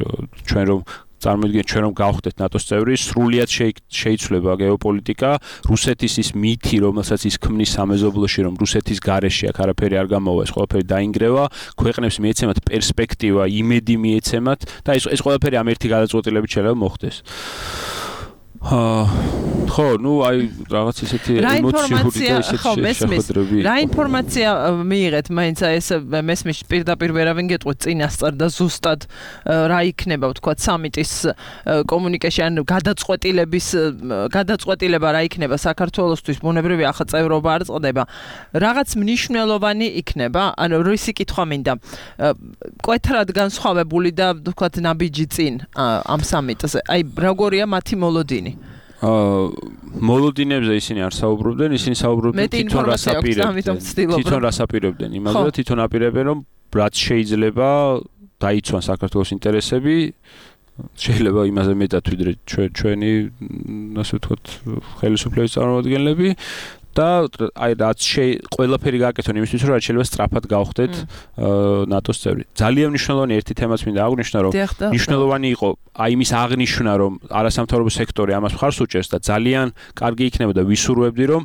რომ წარმოვიდგინეთ ჩვენ რომ გავხდეთ ნატოს წევრი, სრულიად შეიცვლება გეოპოლიტიკა, რუსეთის ის მითი, რომელსაც ის ქმნის სამეზობლოში, რომ რუსეთის გარეშე აქ არაფერი არ გამოვა, ეს ყველაფერი დაინგრევა, ქვეყნებს მიეცემათ პერსპექტივა, იმედი მიეცემათ და ეს ყველაფერი ამ ერთი გადაწყვეტილებით შეიძლება მოხდეს. ხო, ნუ აი რაღაც ისეთი ემოციური და ისეთი შეხვედრები. რა ინფორმაცია მიიღეთ მაინც ეს მესმის პირდაპირ ვერავინ გეტყვით წინასწარ და ზუსტად რა იქნება ვთქვათ სამიტის კომუნიკაცია ან გადაწყვეტილება რა იქნება საქართველოსთვის ბუნებრივი ახლა წევრობა არ წდება. რაღაც მნიშვნელოვანი იქნება, ანუ რისი კითხვა მინდა. კვეთრად განსხვავებული და ვთქვათ ნაბიჯი წინ ამ სამიტზე. აი როგორია მათი მოლოდინი? მოლოდინებზე ისინი არ საუბრობდნენ, ისინი საუბრობდნენ თვითონ რას აპირებდნენ იმაზე და თვითონ აპირებენ რომ რაც შეიძლება დაიცვან საქართველოს ინტერესები, შეიძლება იმაზე მეტად ვიდრე ჩვენი ასე ვთქვათ ხელისუფლების წარმომადგენლები და აი რაც ყველაფერი გააკეთონ იმისთვის რომ რაც შეიძლება სწრაფად გავხდეთ ნატოს წევრი. ძალიან მნიშვნელოვანი ერთი თემაც მინდა აღვნიშნო რომ მნიშვნელოვანი იყო აი იმის აღნიშვნა რომ არასამთავრობო სექტორი ამას მხარს უჭერს და ძალიან კარგი იქნებოდა ვისურვებდი რომ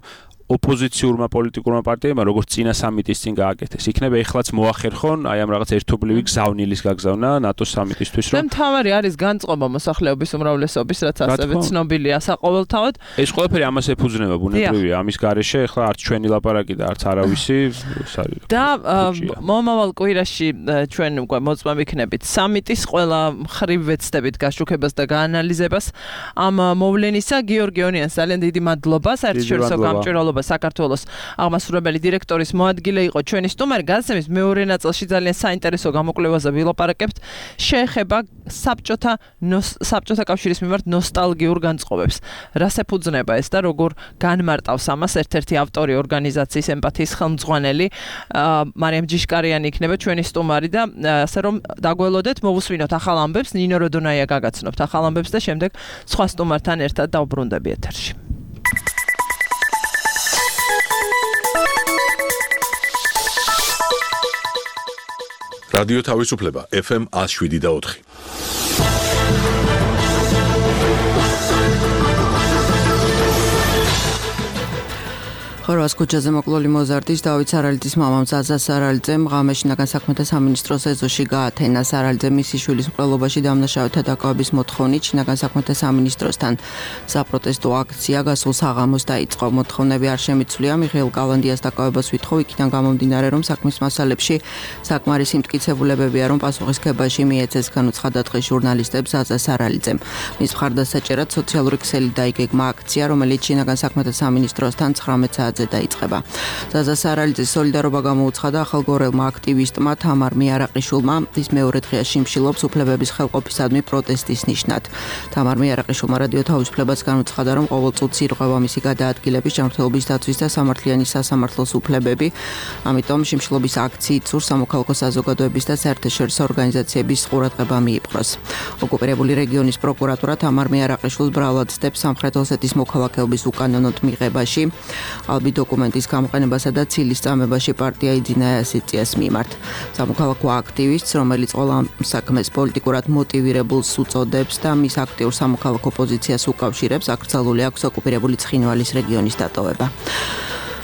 ოპოზიციურმა პოლიტიკურმა პარტიებმა როგორც წინა სამიტის წინ გააკეთეს. იქნება ეხლაც მოახერხონ აი ამ რაღაც ერთობლივი გზავნილის გაგზავნა ნატოს სამიტისთვის რომ მთავარი არის განწყობა მოსახლეობის უმრავლესობის რაც ასევე ცნობილია საყოველთაოდ. ეს ყველაფერი ამას ეფუძნება ბუნებრივია ამის გარეშე ეხლა არც ჩვენი ლაპარაკი და არც არავისი და მომავალ კვირაში ჩვენ უკვე მოწმე ვიქნებით სამიტის ყველა მხრივ ვეცდებით გაშუქებას და გაანალიზებას ამ მოვლენისა. გიორგი ონიანს ძალიან დიდი მადლობა საერთაშორისო გამჭვირვალობა საქართველოს აღმასრულებელი დირექტორის მოადგილე იყო ჩვენი სტუმარი. გადაცემის მეორე ნაწილში ძალიან საინტერესო გამოკვლევაზე ვილაპარაკებთ. შეეხება საბჭოთა კავშირის მიმართ ნოსტალგიურ განწყობებს. რას ეფუძნება ეს და როგორ განმარტავს ამას ერთ-ერთი ავტორი ორგანიზაციის ემპათიის ხელმძღვანელი მარიამ ჯიშკარიანი იქნება ჩვენი სტუმარი და ასე რომ დაგველოდეთ მოვუსმინოთ ახალ ამბებს. ნინო როდონაია გაგაცნობთ ახალ ამბებს და შემდეგ სხვა სტუმართან ერთად დავბრუნდები ეთერში. რადიო თავისუფლება FM 107.4. ხორვატიის ქუჩაზე მოკლული მოზარდის დავით სარალიძის მამამ ზაზა სარალიძემ ღამეში შინაგან საქმეთა სამინისტროს ეზოში გაათენა. სარალიძე მისი შვილის მკვლელობაში დამნაშავეთა დაკავების მოთხოვნით შინაგან საქმეთა სამინისტროსთან საპროტესტო აქცია გასულ საღამოს დაიწყო. მოთხოვნები არ შემიცვლია მიხეილ კალანდიას დაკავებას ვითხოვ იქიდან გამომდინარე რომ საქმის მასალებში საკმარისი მტკიცებულებებია რომ პასუხისგებაში მიეცეს განუცხადა დღეს ჟურნალისტებს ზაზა სარალიძემ. მის მხარდასაჭერად სოციალური ქსელი დაიგეგმა აქცია რომელიც შინაგან საქმეთა სამინისტროსთან 19 საათზე დაიწყება. ზაზა სარალიძის სოლიდარობა გამოუცხადა ახალგორელმა აქტივისტმა თამარ მიარაყიშვილმა. ის მეორე დღეა შიმშილობს უფლებების ხელყოფისადმი პროტესტის ნიშნად. თამარ მიარაყიშვილმა რადიო თავისუფლებას განუცხადა რომ ყოველ წუთს ირღვევა მისი გადაადგილების, ჯანმრთელობის დაცვის და სამართლიანი სასამართლოს უფლებები. ამიტომ შიმშილობის აქციით სურს სამოქალაქო საზოგადოების და საერთაშორისო ორგანიზაციების ყურადღება მიიპყროს. ოკუპირებული რეგიონის პროკურატურა თამარ მიარაყიშვილს ბრალად ცდებს სამხრეთ ოსეთის მოქალაქეობის უკანონოდ მიღებაში. დოკუმენტის გამოყენებასა და ცილის წამებაში პარტია იძინა ასეციას მიმართ. სამოქალაქო აქტივისტს, რომელიც ყველა საქმეს პოლიტიკურად მოტივირებულს უწოდებს და მის აქტიურ სამოქალაქო პოზიციას უკავშირებს, აკრძალული აქვს ოკუპირებული ცხინვალის რეგიონის დატოვება.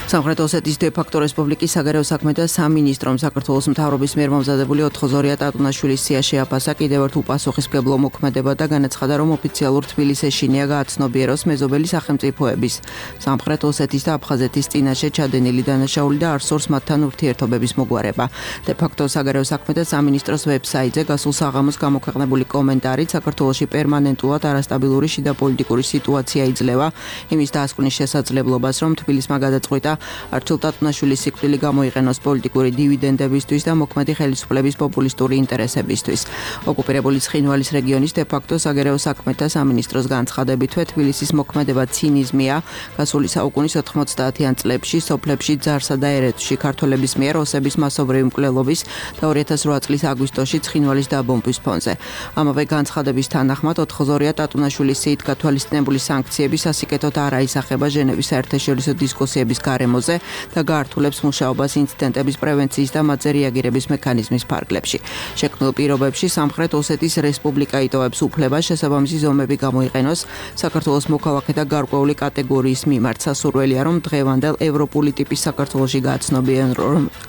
სამხრეთ ოსეთის დე-ფაქტო რესპუბლიკის საგარეო საქმეთა სამინისტრომ საქართველოს მთავრობის მიერ მომზადებული 4-2 ტატუნაშვილის სია შეაფასა კიდევ ერთ უპასუხისმგებლო მოქმედება და განაცხადა რომ ოფიციალურ თბილისში ეშინია გააცნობიეროს მეზობელი სახელმწიფოების სამხრეთ ოსეთის და აფხაზეთის წინაშე ჩადენილი დანაშაული და არსურს მათთან ურთიერთობების მოგვარება. დე-ფაქტო საგარეო საქმეთა სამინისტროს ვებსაიტზე გასულ საღამოს გამოქვეყნებული კომენტარით საქართველოში პერმანენტულად არასტაბილური შიდა პოლიტიკური სიტუაცია იძლევა იმის დასკვნის შესაძლებლობას რომ თბილისმა გადაწყვიტა არჩილ ტატუნაშვილის სიკვდილი გამოიყენოს პოლიტიკური დივიდენდებისთვის და მოქმედი ხელისუფლების პოპულისტური ინტერესებისთვის. ოკუპირებული ცხინვალის რეგიონის დე-ფაქტო საგარეო საქმეთა სამინისტროს განცხადებითვე თბილისის მოქმედება ცინიზმია. გასული საუკუნის 90-იან წლებში სოფლებში ძარსა და ერეთში ქართველების მიერ ოსების მასობრივი მკვლელობის და 2008 წლის აგვისტოში ცხინვალის დაბომბვის ფონზე. ამავე განცხადების თანახმად 4-2 ტატუნაშვილის სიით გათვალისწინებული სანქციები სასიკეთოდ არ აისახება ჟენევის საერთაშორისო დისკუსიების გარეთ გარემოზე და გაართულებს მუშაობას ინციდენტების პრევენციის და მათზე რეაგირების მექანიზმის ფარგლებში. შექმნილ პირობებში სამხრეთ ოსეთის რესპუბლიკა იტოვებს უფლებას შესაბამისი ზომები გამოიყენოს საქართველოს მოქალაქეთა გარკვეული კატეგორიის მიმართ. სასურველია, რომ დღევანდელ ევროპული ტიპის საქართველოში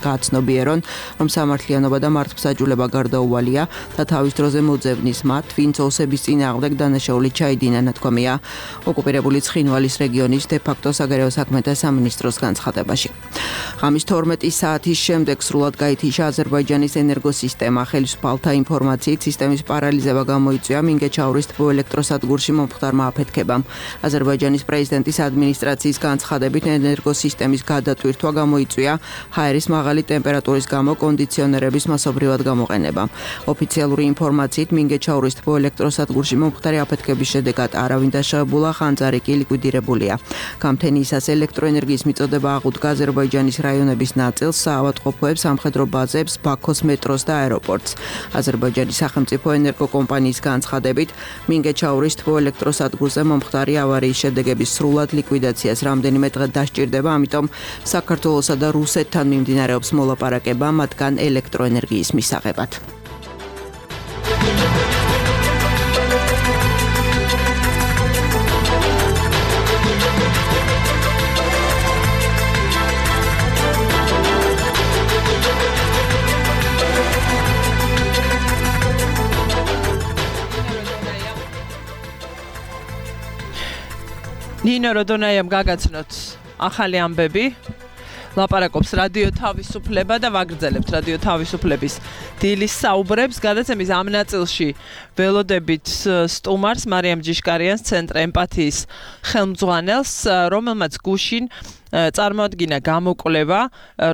გააცნობიერონ, რომ სამართლიანობა და მართლმსაჯულება გარდაუვალია და თავის დროზე მოძებნის მათ, ვინც ოსების წინააღმდეგ დანაშაული ჩაიდინა, ნათქვამია ოკუპირებული ცხინვალის რეგიონის დე-ფაქტო საგარეო საქმეთა სამინისტროს განცხადებაში. ღამის 12 საათის შემდეგ სრულად გაითიშა აზერბაიჯანის ენერგოსისტემა. ხელისუფალთა ინფორმაციით სისტემის პარალიზება გამოიწვია მინგეჩაურის თბოელექტროსადგურში მომხდარმა აფეთქებამ. აზერბაიჯანის პრეზიდენტის ადმინისტრაციის განცხადებით ენერგოსისტემის გადატვირთვა გამოიწვია ჰაერის მაღალი ტემპერატურის გამო კონდიციონერების მასობრივად გამოყენებამ. ოფიციალური ინფორმაციით მინგეჩაურის თბოელექტროსადგურში მომხდარი აფეთქების შედეგად არავინ დაშავებულა, ხანძარი კი ლიკვიდირებულია. გამთენიისას ელექტროენერგიის მიწოდება აღუდგა აზერბაიჯანის რაიონების ნაწილს, საავადმყოფოებს, სამხედრო ბაზებს, ბაქოს მეტროს და აეროპორტს. აზერბაიჯანის სახელმწიფო ენერგო კომპანიის განცხადებით, მინგეჩაურის თბოელექტროსადგურზე მომხდარი ავარიის შედეგების სრულად ლიკვიდაციას რამდენიმე დღე დასჭირდება, ამიტომ საქართველოსა და რუსეთთან მიმდინარეობს მოლაპარაკება მათგან ელექტროენერგიის მისაღებად. ნინო როდონაიამ გაგაცნოთ ახალი ამბები. ლაპარაკობს რადიო თავისუფლება და ვაგრძელებთ რადიო თავისუფლების დილის საუბრებს. გადაცემის ამ ნაწილში ველოდებით სტუმარს მარიამ ჯიშკარიანს, ცენტრ ემპათიის ხელმძღვანელს, რომელმაც გუშინ წარმოადგინა გამოკვლევა,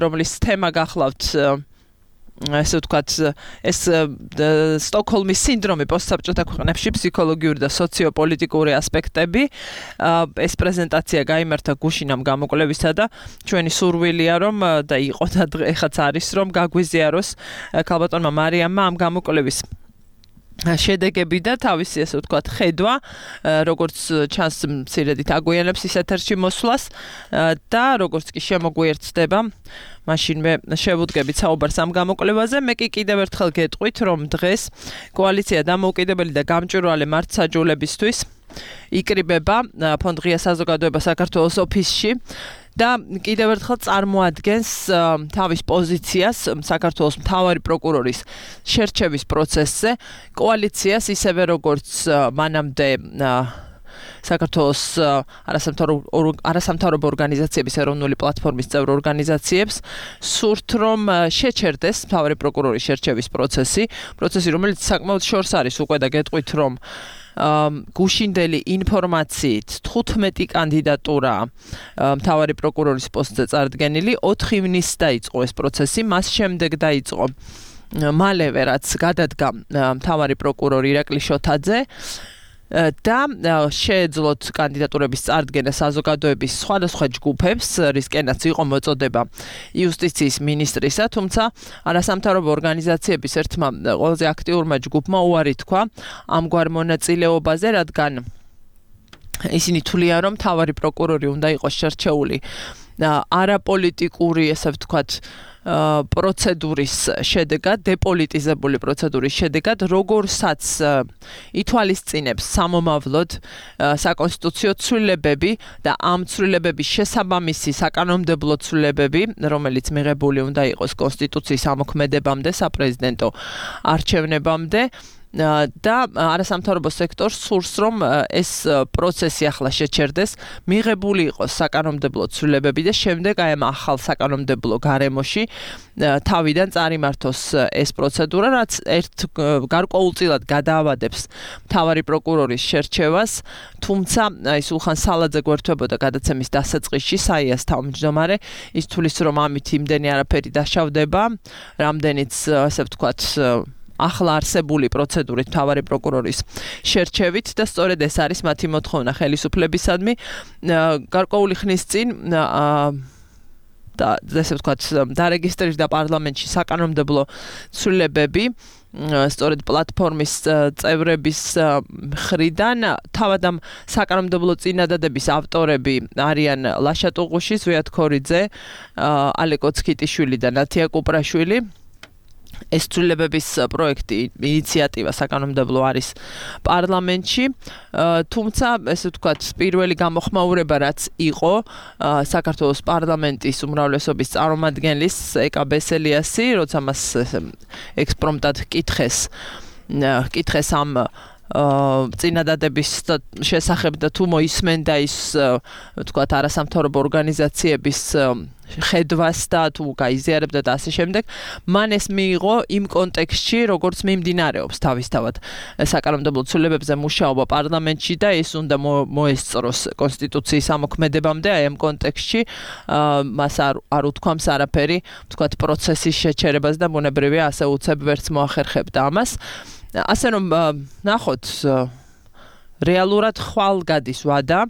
რომლის თემა გახლავთ ესე ვთქვათ, ეს სტოკჰოლმის სინდრომი პოსტსაბჭოთა ქვეყნებში, ფსიქოლოგიური და სოციოპოლიტიკური ასპექტები. ეს პრეზენტაცია გაიმართა გუშინ ამ გამოკვლევისა და ჩვენი სურვილია რომ და იყო და ეხაც არის რომ გაგვიზიაროს ქალბატონმა მარიამმა ამ გამოკვლევის შედეგები და თავისი ესე ვთქვათ ხედვა, როგორც ჩანს მცირედით აგვიანებს ის ეთერში მოსვლას და როგორც კი შემოგვიერთდება მაშინვე შევუდგებით საუბარს ამ გამოკვლევაზე. მე კი კიდევ ერთხელ გეტყვით, რომ დღეს კოალიცია დამოუკიდებელი და გამჭვირვალე მართლმსაჯულებისთვის იკრიბება ფონდ ღია საზოგადოება საქართველოს ოფისში და კიდევ ერთხელ წარმოადგენს თავის პოზიციას საქართველოს მთავარი პროკურორის შერჩევის პროცესზე. კოალიციას ისევე როგორც მანამდე საქართველოს არასამთავრობო ორგანიზაციების ეროვნული პლატფორმის წევრ ორგანიზაციებს სურთ რომ შეჩერდეს მთავარი პროკურორის შერჩევის პროცესი, რომელიც საკმაოდ შორს არის უკვე და გეტყვით რომ გუშინდელი ინფორმაციით 15 კანდიდატურა მთავარი პროკურორის პოსტზე წარდგენილი, 4 ივნისს დაიწყო ეს პროცესი, მას შემდეგ დაიწყო მალევე რაც გადადგა მთავარი პროკურორი ირაკლი შოთაძე და შეეძლოთ კანდიდატურების წარდგენა საზოგადოების სხვადასხვა ჯგუფებს, რისკენაც იყო მოწოდება იუსტიციის მინისტრისა, თუმცა არასამთავრობო ორგანიზაციების ერთმა ყველაზე აქტიურმა ჯგუფმა უარი თქვა ამგვარ მონაწილეობაზე, რადგან ისინი თვლიან, რომ მთავარი პროკურორი უნდა იყოს შერჩეული არაპოლიტიკური, ესე ვთქვათ, პროცედურის შედეგად, დეპოლიტიზებული პროცედურის შედეგად, როგორცაც ითვალისწინებს სამომავლოდ საკონსტიტუციო ცვლილებები და ამ ცვლილებების შესაბამისი საკანონმდებლო ცვლილებები, რომელიც მიღებული უნდა იყოს კონსტიტუციის ამოქმედებამდე, საპრეზიდენტო არჩევნებამდე. და არასამთავრობო სექტორს სურს რომ ეს პროცესი ახლა შეჩერდეს, მიღებული იყოს საკანონმდებლო ცვლილებები და შემდეგ აი ამ ახალ საკანონმდებლო გარემოში თავიდან წარიმართოს ეს პროცედურა, რაც გარკვეულწილად გადაავადებს მთავარი პროკურორის შერჩევას, თუმცა აი სულხან სალაძე გვერდებოდა გადაცემის დასაწყისში, საიას თავმჯდომარე, ის თulis რომ ამით იმდენი არაფერი დაშავდება, რამდენიც ასე ვთქვათ ახლა არსებული პროცედურით მთავარი პროკურორის შერჩევით და სწორედ ეს არის მათი მოთხოვნა ხელისუფლებისადმი. გარკვეული ხნის წინ და ესე ვთქვათ, დარეგისტრირდა პარლამენტში საკანონმდებლო ცვლილებები სწორედ პლატფორმის წევრების მხრიდან თავად ამ საკანონმდებლო წინადადების ავტორები არიან ლაშა ტუღუში, ზვიად ქორიძე, ალეკო ცქიტიშვილი და ნათია კუპრაშვილი. ეს ცვლილებების პროექტი, ინიციატივა საკანონმდებლო არის პარლამენტში, თუმცა ესე ვთქვათ, პირველი გამოხმაურება რაც იყო საქართველოს პარლამენტის უმრავლესობის წარმომადგენლის ეკა ბესელიასი, როცა მას ექსპრომტად კითხეს ამ წინადადების შესახებ და თუ მოისმენდა ის ვთქვათ არასამთავრობო ორგანიზაციების ხედვას და თუ გაიზიარებდა და ასე შემდეგ, მან ეს მიიღო იმ კონტექსტში, როგორც მიმდინარეობს თავისთავად საკანონმდებლო ცვლილებებზე მუშაობა პარლამენტში და ეს უნდა მოესწროს კონსტიტუციის ამოქმედებამდე, აი ამ კონტექსტში მას არ უთქვამს არაფერი, ვთქვათ პროცესის შეჩერებას და ბუნებრივია ასე უცებ ვერც მოახერხებდა ამას. ასე რომ ნახოთ რეალურად ხვალ გადის ვადა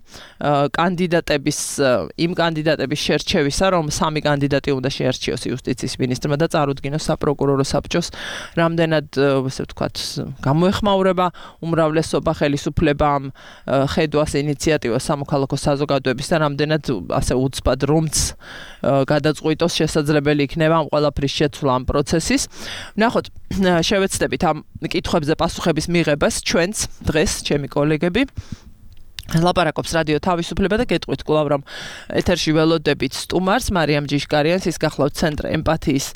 იმ კანდიდატების შერჩევისა, რომ 3 კანდიდატი უნდა შეერჩიოს იუსტიციის მინისტრმა და წარუდგინოს საპროკურორო საბჭოს, რამდენად ესე ვთქვათ, გამოეხმაურება უმრავლესობა ხელისუფლება ამ ხედვას ინიციატივას სამოქალაქო საზოგადოების და რამდენად ასე უცბად რომც გადაწყვიტოს შესაძლებელი იქნება ამ ყველაფრის შეცვლა ამ პროცესის. ნახოთ, შევეცდებით ამ კითხვებზე პასუხების მიღებას ჩვენც დღეს ჩემი კოლეგები ლაპარაკობს რადიო თავისუფლება და გეტყვით კვლავ რომ ეთერში ველოდებით სტუმარს მარიამ ჯიშკარიანს, ის გახლავთ ცენტრ ემპათიის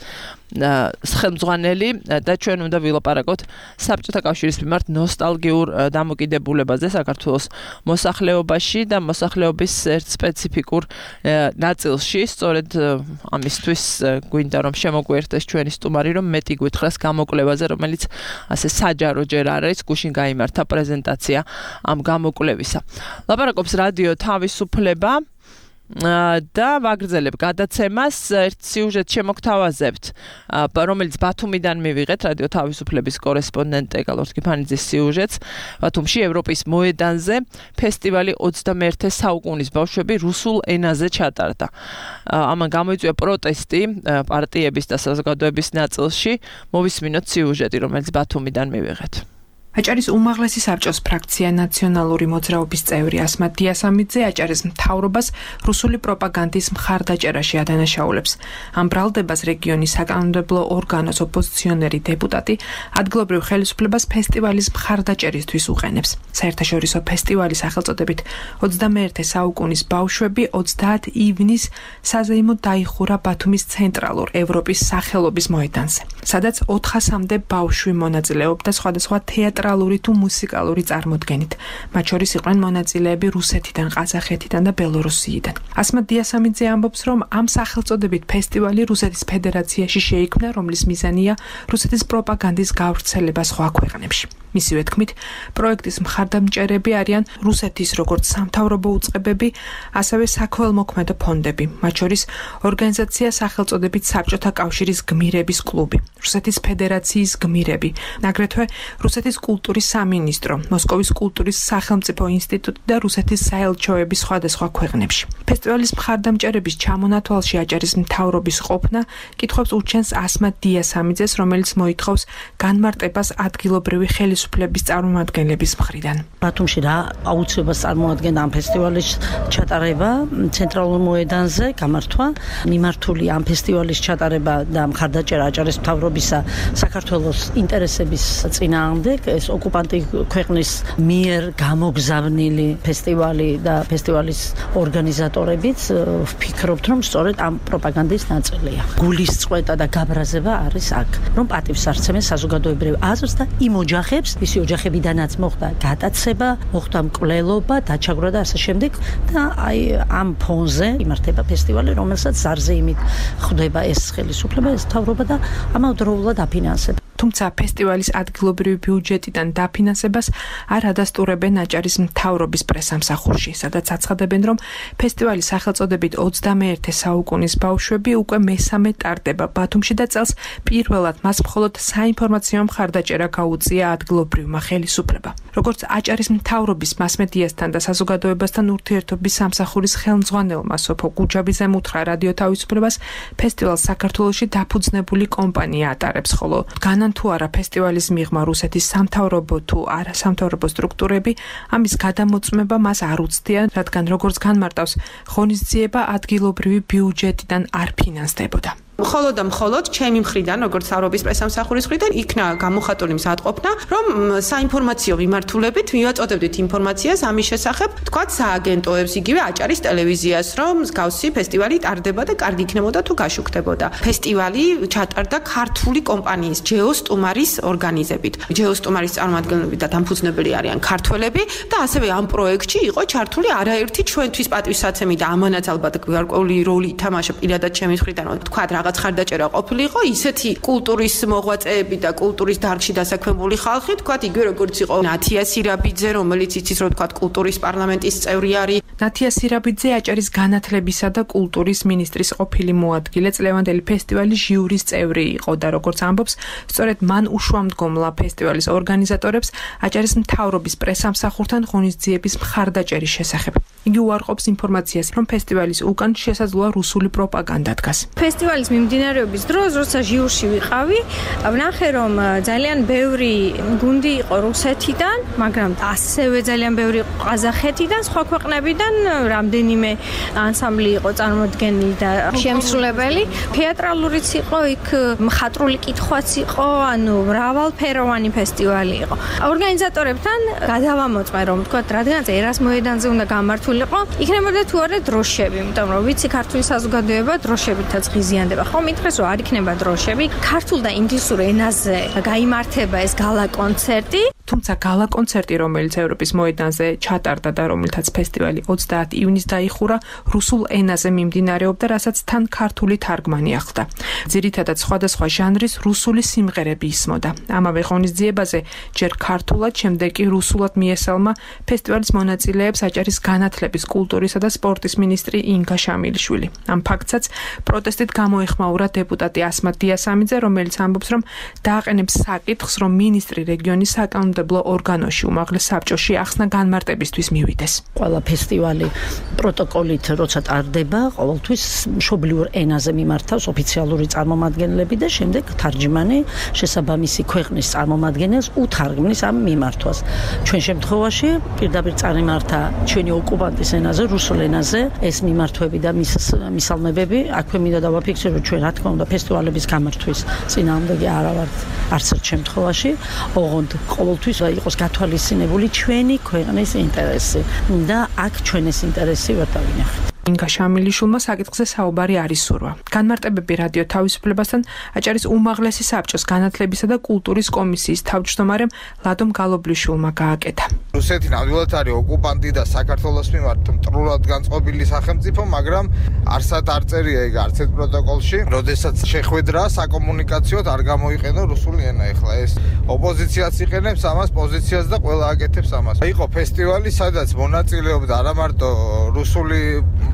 ხელმძღვანელი და ჩვენ უნდა ვილაპარაკოთ საბჭოთა კავშირის მიმართ ნოსტალგიურ დამოკიდებულებაზე საქართველოს მოსახლეობაში და მოსახლეობის ერთ სპეციფიკურ ნაწილში. სწორედ ამისთვის გვინდა რომ შემოგვიერთდეს ჩვენი სტუმარი, რომ მეტი გვითხრას გამოკვლევაზე, რომელიც ასე საჯარო ჯერ არ არის, გუშინ გაიმართა პრეზენტაცია ამ გამოკვლევისა. ლაპარაკობს რადიო თავისუფლება და ვაგრძელებ გადაცემას, ერთ სიუჟეტს შემოგთავაზებთ, რომელიც ბათუმიდან მივიღეთ, რადიო თავისუფლების კორესპონდენტ ეკალორ კიფანიძის სიუჟეტს. ბათუმში ევროპის მოედანზე ფესტივალი 21 საუკუნის ბავშვები რუსულ ენაზე ჩატარდა. ამან გამოიწვია პროტესტი პარტიების და საზოგადოების ნაწილში. მოვისმინოთ სიუჟეტი, რომელიც ბათუმიდან მივიღეთ. აჭარის უმაღლესი საბჭოს ფრაქცია ნაციონალური მოძრაობის წევრი ასმათ დიასამიძე აჭარის მთავრობას რუსული პროპაგანდის მხარდაჭერაში ადანაშაულებს. ამ ბრალდებას რეგიონის საკანონმდებლო ორგანოს ოპოზიციონერი დეპუტატი ადგილობრივ ხელისუფლებას ფესტივალის მხარდაჭერისთვის უყენებს. საერთაშორისო ფესტივალის სახელწოდებით 21 საუკუნის ბავშვები 30 ივნისს საზეიმოდ დაიხურა ბათუმის ცენტრალურ ევროპის სახელობის მოედანზე, სადაც 400-მდე ბავშვი მონაწილეობდა სხვადასხვა თეატრალური თუ მუსიკალური წარმოდგენით. მათ შორის იყვნენ მონაწილეები რუსეთიდან, ყაზახეთიდან და ბელორუსიიდან. ასმათ დიასამიძე ამბობს, რომ ამ სახელწოდებით ფესტივალი რუსეთის ფედერაციაში შეიქმნა, რომლის მიზანია რუსეთის პროპაგანდის გავრცელება სხვა ქვეყნებში. მისივე თქმით, პროექტის მხარდამჭერები არიან რუსეთის როგორც სამთავრობო უწყებები, ასევე საქველმოქმედო ფონდები, მათ შორის ორგანიზაცია სახელწოდებით საბჭოთა კავშირის გმირების კლუბი, რუსეთის ფედერაციის გმირები, აგრეთვე რუსეთის კულტურის სამინისტრო, მოსკოვის კულტურის სახელმწიფო ინსტიტუტი და რუსეთის საელჩოები სხვადასხვა ქვეყნებში. ფესტივალის მხარდამჭერების ჩამონათვალში აჭარის მთავრობის ყოფნა კითხვებს უჩენს ასმათ დიასამიძეს, რომელიც მოითხოვს განმარტებას ადგილობრივი ხელისუფლების წარმომადგენლების მხრიდან. ბათუმში რა აუცილებლად წარმოადგენდა ამ ფესტივალის ჩატარება ცენტრალურ მოედანზე, გამართვა, მიმართული ამ ფესტივალის ჩატარება და მხარდაჭერა აჭარის მთავრობისა საქართველოს ინტერესების წინააღმდეგ, ეს ოკუპანტი ქვეყნის მიერ გამოგზავნილი ფესტივალი და ფესტივალის ორგანიზატორებიც ვფიქრობთ, რომ სწორედ ამ პროპაგანდის ნაწილია. გულისწყვეტა და გაბრაზება არის აქ, რომ პატივს არცემენ საზოგადოებრივ აზრს და იმ ოჯახებს, ისი ოჯახებიდანაც მოხდა გადაცება, მოხდა მკვლელობა, დაჩაგვრა და ასე შემდეგ და აი ამ ფონზე იმართება ფესტივალი, რომელსაც ზარზეიმით ხვდება ეს ხელისუფლება, ეს მთავრობა და ამავდროულად აფინანსებს. თუმცა ფესტივალის ადგილობრივი ბიუჯეტიდან დაფინანსებას არ ადასტურებენ აჭარის მთავრობის პრესამსახურში, სადაც აცხადებენ, რომ ფესტივალის სახელწოდებით 21 საუკუნის ბავშვები უკვე მესამე ტარდება ბათუმში და წელს პირველად მას მხოლოდ საინფორმაციო მხარდაჭერა გაუწია ადგილობრივმა ხელისუფლებამ. როგორც აჭარის მთავრობის მასმედიასთან და საზოგადოებასთან ურთიერთობის სამსახურის ხელმძღვანელმა სოფო გუჯაბიძემ უთხრა რადიო თავისუფლებას, ფესტივალს საქართველოში დაფუძნებული კომპანია ატარებს, ხოლო იტანან თუ არა ფესტივალის მიღმა რუსეთის სამთავრობო თუ არასამთავრობო სტრუქტურები, ამის გადამოწმება მას არ უცდიან, რადგან როგორც განმარტავს, ღონისძიება ადგილობრივი ბიუჯეტიდან არ ფინანსდებოდა. მხოლოდ ჩემი მხრიდან, როგორც სამთავრობის პრესამსახურის მხრიდან, იქნა გამოხატული მზადყოფნა, რომ საინფორმაციო მიმართულებით მივაწოდებდით ინფორმაციას ამის შესახებ, თქვათ სააგენტოებს, იგივე აჭარის ტელევიზიას, რომ მსგავსი ფესტივალი ტარდება და კარგი იქნებოდა თუ გაშუქდებოდა. ფესტივალი ჩატარდა ქართული კომპანიის ჯეოსტუმარის ორგანიზებით. ჯეოსტუმარის წარმომადგენლები და დამფუძნებელი არიან ქართველები და ასევე ამ პროექტში იყო ჩართული არაერთი ჩვენთვის პატივსაცემი და ამანაც ალბათ გარკვეული როლი ითამაშა პირადად ჩემი მხრიდან, თქვათ რაღაც ხარდაჭერა ყოფილიყო, ისეთი კულტურის მოღვაწეები და კულტურის დარგში დასაქმებული ხალხი, თქვათ იგივე როგორც იყო ნათია სირაბიძე, რომელიც იცის რომ თქვათ კულტურის პარლამენტის წევრი არის. ნათია სირაბიძე აჭარის განათლებისა და კულტურის მინისტრის ყოფილი მოადგილე, წლევანდელი ფესტივალის ჟიურის წევრი იყო და როგორც ამბობს, სწორედ მან უშუამდგომლა ფესტივალის ორგანიზატორებს აჭარის მთავრობის პრესამსახურთან ღონისძიების მხარდაჭერის შესახებ. იგი უარყოფს ინფორმაციას, რომ ფესტივალის უკან შესაძლოა რუსული პროპაგანდა დგას. ფესტივალის მიმდინარეობის დროს, როცა ჟიურში ვიყავი, ვნახე, რომ ძალიან ბევრი გუნდი იყო რუსეთიდან, მაგრამ ასევე ძალიან ბევრი იყო ყაზახეთიდან, სხვა ქვეყნებიდან, რამდენიმე ანსამბლი იყო წარმოდგენილი და შემსრულებელი. თეატრალურიც იყო, იქ მხატვრული კითხვაც იყო, ანუ მრავალფეროვანი ფესტივალი იყო. ორგანიზატორებთან გადავამოწმე, რომ თქვათ, რადგანაც ერას მოედანზე უნდა გამართულიყო, იქნებოდა თუ არა დროშები, იმიტომ რომ ვიცი ქართული საზოგადოება დროშებითაც ღიზიანდება. ხომ ითხრეს რომ არ იქნება დროშები, ქართულ და ინგლისურ ენაზე გაიმართება ეს გალა კონცერტი. თუმცა გალა კონცერტი, რომელიც ევროპის მოედანზე ჩატარდა და რომელთაც ფესტივალი 30 ივნის დაიხურა, რუსულ ენაზე მიმდინარეობდა, რასაც თან ქართული თარგმანი ახლდა. ძირითადად სხვადასხვა ჟანრის რუსული სიმღერები ისმოდა. ამავე ღონისძიებაზე ჯერ ქართულად, შემდეგ კი რუსულად მიესალმა ფესტივალის მონაწილეებს აჭარის განათლების, კულტურისა და სპორტის მინისტრი ინგა შამილიშვილი. ამ ფაქტსაც პროტესტით გამოეხმაურა დეპუტატი ასმათ დიასამიძე, რომელიც ამბობს, რომ დააყენებს საკითხს, რომ მინისტრი რეგიონის საკანონმდებლო ორგანოში, უმაღლეს საბჭოში ახსნა განმარტებისთვის მივიდეს. ყველა ფესტივალი პროტოკოლით როცა ტარდება, ყოველთვის მშობლიურ ენაზე მიმართავს ოფიციალური წარმომადგენლები და შემდეგ თარჯმანი შესაბამისი ქვეყნის წარმომადგენელს უთარგმნის ამ მიმართვას. ჩვენ შემთხვევაში პირდაპირ წარიმართა ჩვენი ოკუპანტის ენაზე, რუსულ ენაზე ეს მიმართვები და მისალმებები, აქვე მინდა დავაფიქსირო, რომ ჩვენ რა თქმა უნდა ფესტივალების გამართვის წინააღმდეგი არა ვართ არც ერთ შემთხვევაში, ოღონდ ყოველთვის იყოს გათვალისწინებული ჩვენი ქვეყნის ინტერესი და აქ ჩვენ ეს ინტერესი ვერ დავინახეთ. ინგა შამილიშვილმა საკითხზე საუბარი არ ისურვა. განმარტებები რადიო თავისუფლებასთან აჭარის უმაღლესი საბჭოს განათლებისა და კულტურის კომისიის თავმჯდომარემ ლადომ გალობლიშვილმა გააკეთა. რუსეთი ნამდვილად არის ოკუპანტი და საქართველოს მიმართ მტრულად განწყობილი სახელმწიფო, მაგრამ არსად არ წერია ეგ არც ერთ პროტოკოლში, როდესაც შეხვედრა საკომუნიკაციოდ არ გამოიყენო რუსული ენა. ეხლა ეს ოპოზიციაც იყენებს ამას, პოზიციას და ყველა აკეთებს ამას. იყო ფესტივალი, სადაც მონაწილეობდა არა მარტო რუსული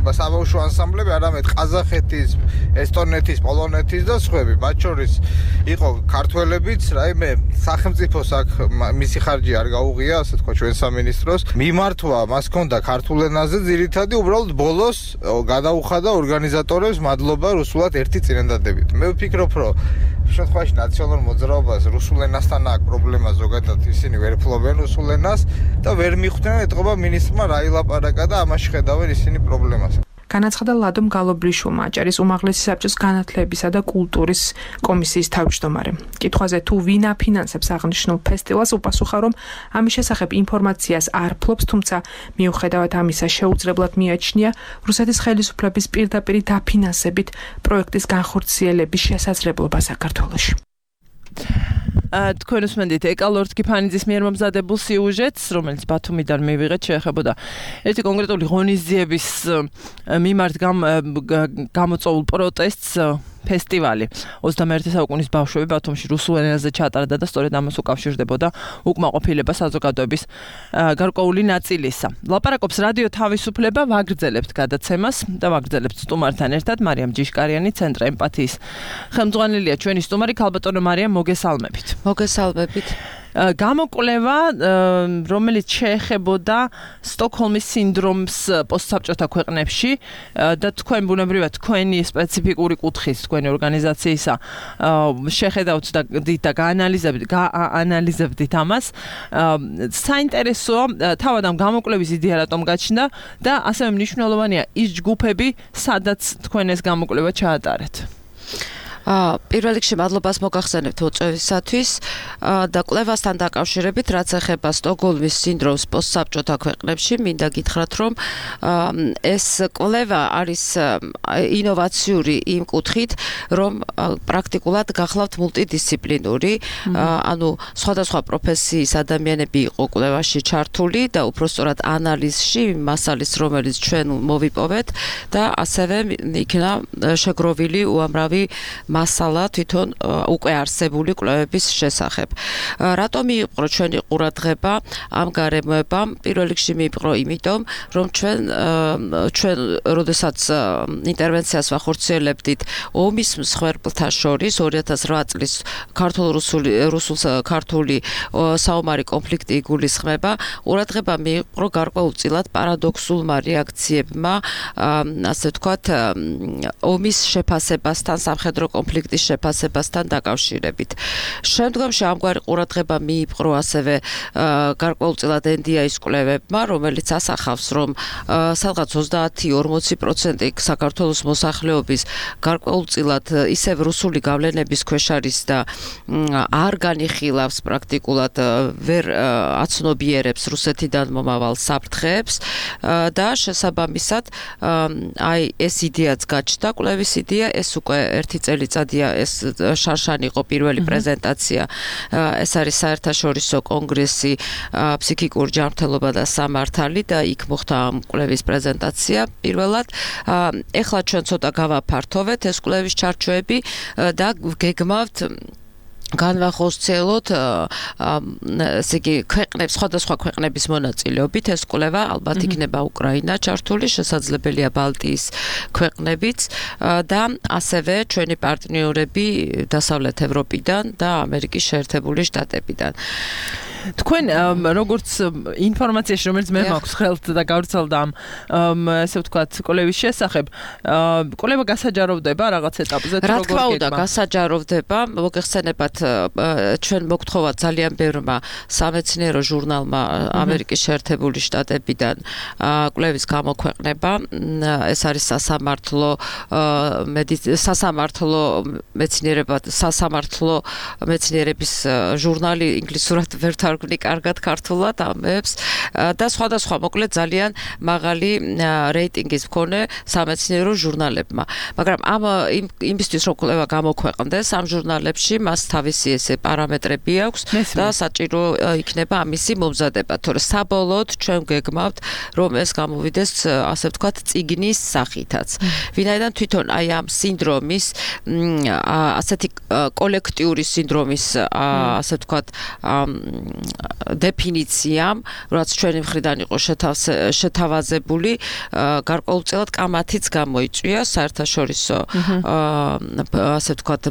საბავშვო ანსამბლები, არამედ ყაზახეთის, ესტონეთის, პოლონეთის და სხვები. მათ შორის იყო ქართველებიც, რაიმე სახელმწიფოს აქ მისი ხარჯი არ გაუღია, ასე თქვა ჩვენ სამინისტროს. მიმართვა მას ჰქონდა ქართულ ენაზე, ძირითადი უბრალოდ ბოლოს გადაუხადა ორგანიზატორებს მადლობა რუსულად ერთი წინადადებით. მე ვფიქრობ, რომ შემთხვევაში ნაციონალურ მოძრაობას რუსულ ენასთან აქვს პრობლემა, ზოგადად ისინი ვერ ფლობენ რუსულ ენას და ვერ მიხვდნენ ეთყობა მინისტრმა რა ილაპარაკა და ამაში ხედავენ ისინი პრობლემას. განაცხადა ლადომ გალობლიშვილმა აჭარის უმაღლესი საბჭოს განათლებისა და კულტურის კომისიის თავმჯდომარემ. კითხვაზე თუ ვინ აფინანსებს აღნიშნულ ფესტივალს, უპასუხა, რომ ამის შესახებ ინფორმაციას არ ფლობს, თუმცა მიუხედავად ამისა შეუძლებლად მიაჩნია რუსეთის ხელისუფლების პირდაპირი დაფინანსებით პროექტის განხორციელების შესაძლებლობა საქართველოში. თქვენ უსმენთ ეკალორდ კიფანიძის მიერ მომზადებულ სიუჟეტს, რომელიც ბათუმიდან მივიღეთ, შეეხებოდა ერთი კონკრეტული ღონისძიების მიმართ გამოწვეულ პროტესტს. ფესტივალი 21 საუკუნის ბავშვები ბათუმში რუსულ ენაზე ჩატარდა და სწორედ ამას უკავშირდებოდა უკმაყოფილება საზოგადოების გარკვეული ნაწილისა. ლაპარაკობს რადიო თავისუფლება, ვაგრძელებთ გადაცემას და ვაგრძელებთ სტუმართან ერთად მარიამ ჯიშკარიანი, ცენტრ ემპათიის ხელმძღვანელია ჩვენი სტუმარი ქალბატონო მარიამ, მოგესალმებით. მოგესალმებით. გამოკვლევა, რომელიც შეეხებოდა სტოკჰოლმის სინდრომს პოსტსაბჭოთა ქვეყნებში და თქვენ ბუნებრივად თქვენი სპეციფიკური კუთხის თქვენი ორგანიზაციისა შეხედავთ და გაანალიზებდით ამას. საინტერესოა თავად ამ გამოკვლევის იდეა რატომ გაჩნდა და ასევე მნიშვნელოვანია ის ჯგუფები, სადაც თქვენ ეს გამოკვლევა ჩაატარეთ. პირველ რიგში მადლობას მოგახსენებთ მოწვევისათვის და კვლევასთან დაკავშირებით, რაც ეხება სტოკჰოლმის სინდრომს პოსტსაბჭოთა ქვეყნებში, მინდა გითხრათ, რომ ეს კვლევა არის ინოვაციური იმ კუთხით, რომ პრაქტიკულად გახლავთ მულტიდისციპლინური, ანუ სხვადასხვა პროფესიის ადამიანები იყო კვლევაში ჩართული და უпростоრად ანალიზში მასალის, რომელიც ჩვენ მოვიპოვეთ და ასევე იქნა შეგროვილი უამრავი მასალა თვითონ უკვე არსებული კვლევების შესახებ. Რატომ მიიპყრო ჩვენი ყურადღება ამ გარემოებამ? პირველ რიგში მიიპყრო იმიტომ, რომ ჩვენ როდესაც ინტერვენციას ვახორციელებდით ომის მსხვერპლთა შორის 2008 წლის ქართულ-რუსულ-ქართული საომარი კონფლიქტი იგულისხმება, ყურადღება მიიპყრო გარკვეულწილად პარადოქსულმა რეაქციებმა, ასე ვთქვათ, ომის შეფასებასთან, სამხედრო კონფლიქტის შეფასებასთან დაკავშირებით. Შემდგომში ამგვარი ყურადღება მიიპყრო ასევე გარკვეულწილად NDI-ის კვლევებმა, რომელიც ასახავს, რომ სადღაც 30-40% საქართველოს მოსახლეობის გარკვეულწილად ისევ რუსული გავლენების ქვეშ არის და არ განიხილავს პრაქტიკულად ვერ აცნობიერებს რუსეთიდან მომავალ საფრთხეებს და შესაბამისად აი ეს იდეაც გაჩნდა, კვლევის იდეა, ეს უკვე ერთი წელიწადია ეს შარშანი იყო პირველი პრეზენტაცია. ეს არის საერთაშორისო კონგრესი ფსიქიკური ჯანმრთელობა და სამართალი და იქ მოხდა ამ კვლევის პრეზენტაცია პირველად. ეხლა ჩვენ ცოტა გავაფართოვეთ ეს კვლევის ჩარჩოები და გეგმავთ განვახორციელოთ ესე იგი ქვეყნებს, სხვადასხვა ქვეყნების მონაწილეობით ეს კვლევა ალბათ იქნება უკრაინა ჩართული, შესაძლებელია ბალტიის ქვეყნებიც და ასევე ჩვენი პარტნიორები დასავლეთ ევროპიდან და ამერიკის შეერთებული შტატებიდან. თქვენ როგორც ინფორმაციაში, რომელიც მე მაქვს ხელთ და გავრცელდა ამ ესე ვთქვათ კვლევის შესახებ, კვლევა გასაჯაროვდება რაღაც ეტაპზე თუ როგორ გეგმა? რა თქმა უნდა, გასაჯაროვდება. მოგეხსენებათ, ჩვენ მოგთხოვათ ძალიან ბევრმა სამეცნიერო ჟურნალმა ამერიკის შეერთებული შტატებიდან კვლევის გამოქვეყნება. ეს არის სასამართლო მეცნიერების ჟურნალი, ინგლისურად ვერ ვარგვნი კარგად ქართულად ამებს და სხვადასხვა მოკლედ ძალიან მაღალი რეიტინგის მქონე სამეცნიერო ჟურნალებმა. მაგრამ იმისთვის რომ კვლევა გამოქვეყნდეს ამ ჟურნალებში მას თავისი ესე პარამეტრები აქვს და საჭირო იქნება ამისი მომზადება. თორე საბოლოოდ ჩვენ გეგმავთ რომ ეს გამოვიდეს ასე ვთქვათ წიგნის სახითაც. ვინაიდან თვითონ აი ამ სინდრომის ასეთი კოლექტიური სინდრომის ასე ვთქვათ დეფინიციამ, რაც ჩვენი მხრიდან იყო შეთავაზებული, გარკვეულწილად კამათიც გამოიწვია საერთაშორისო ასე ვთქვათ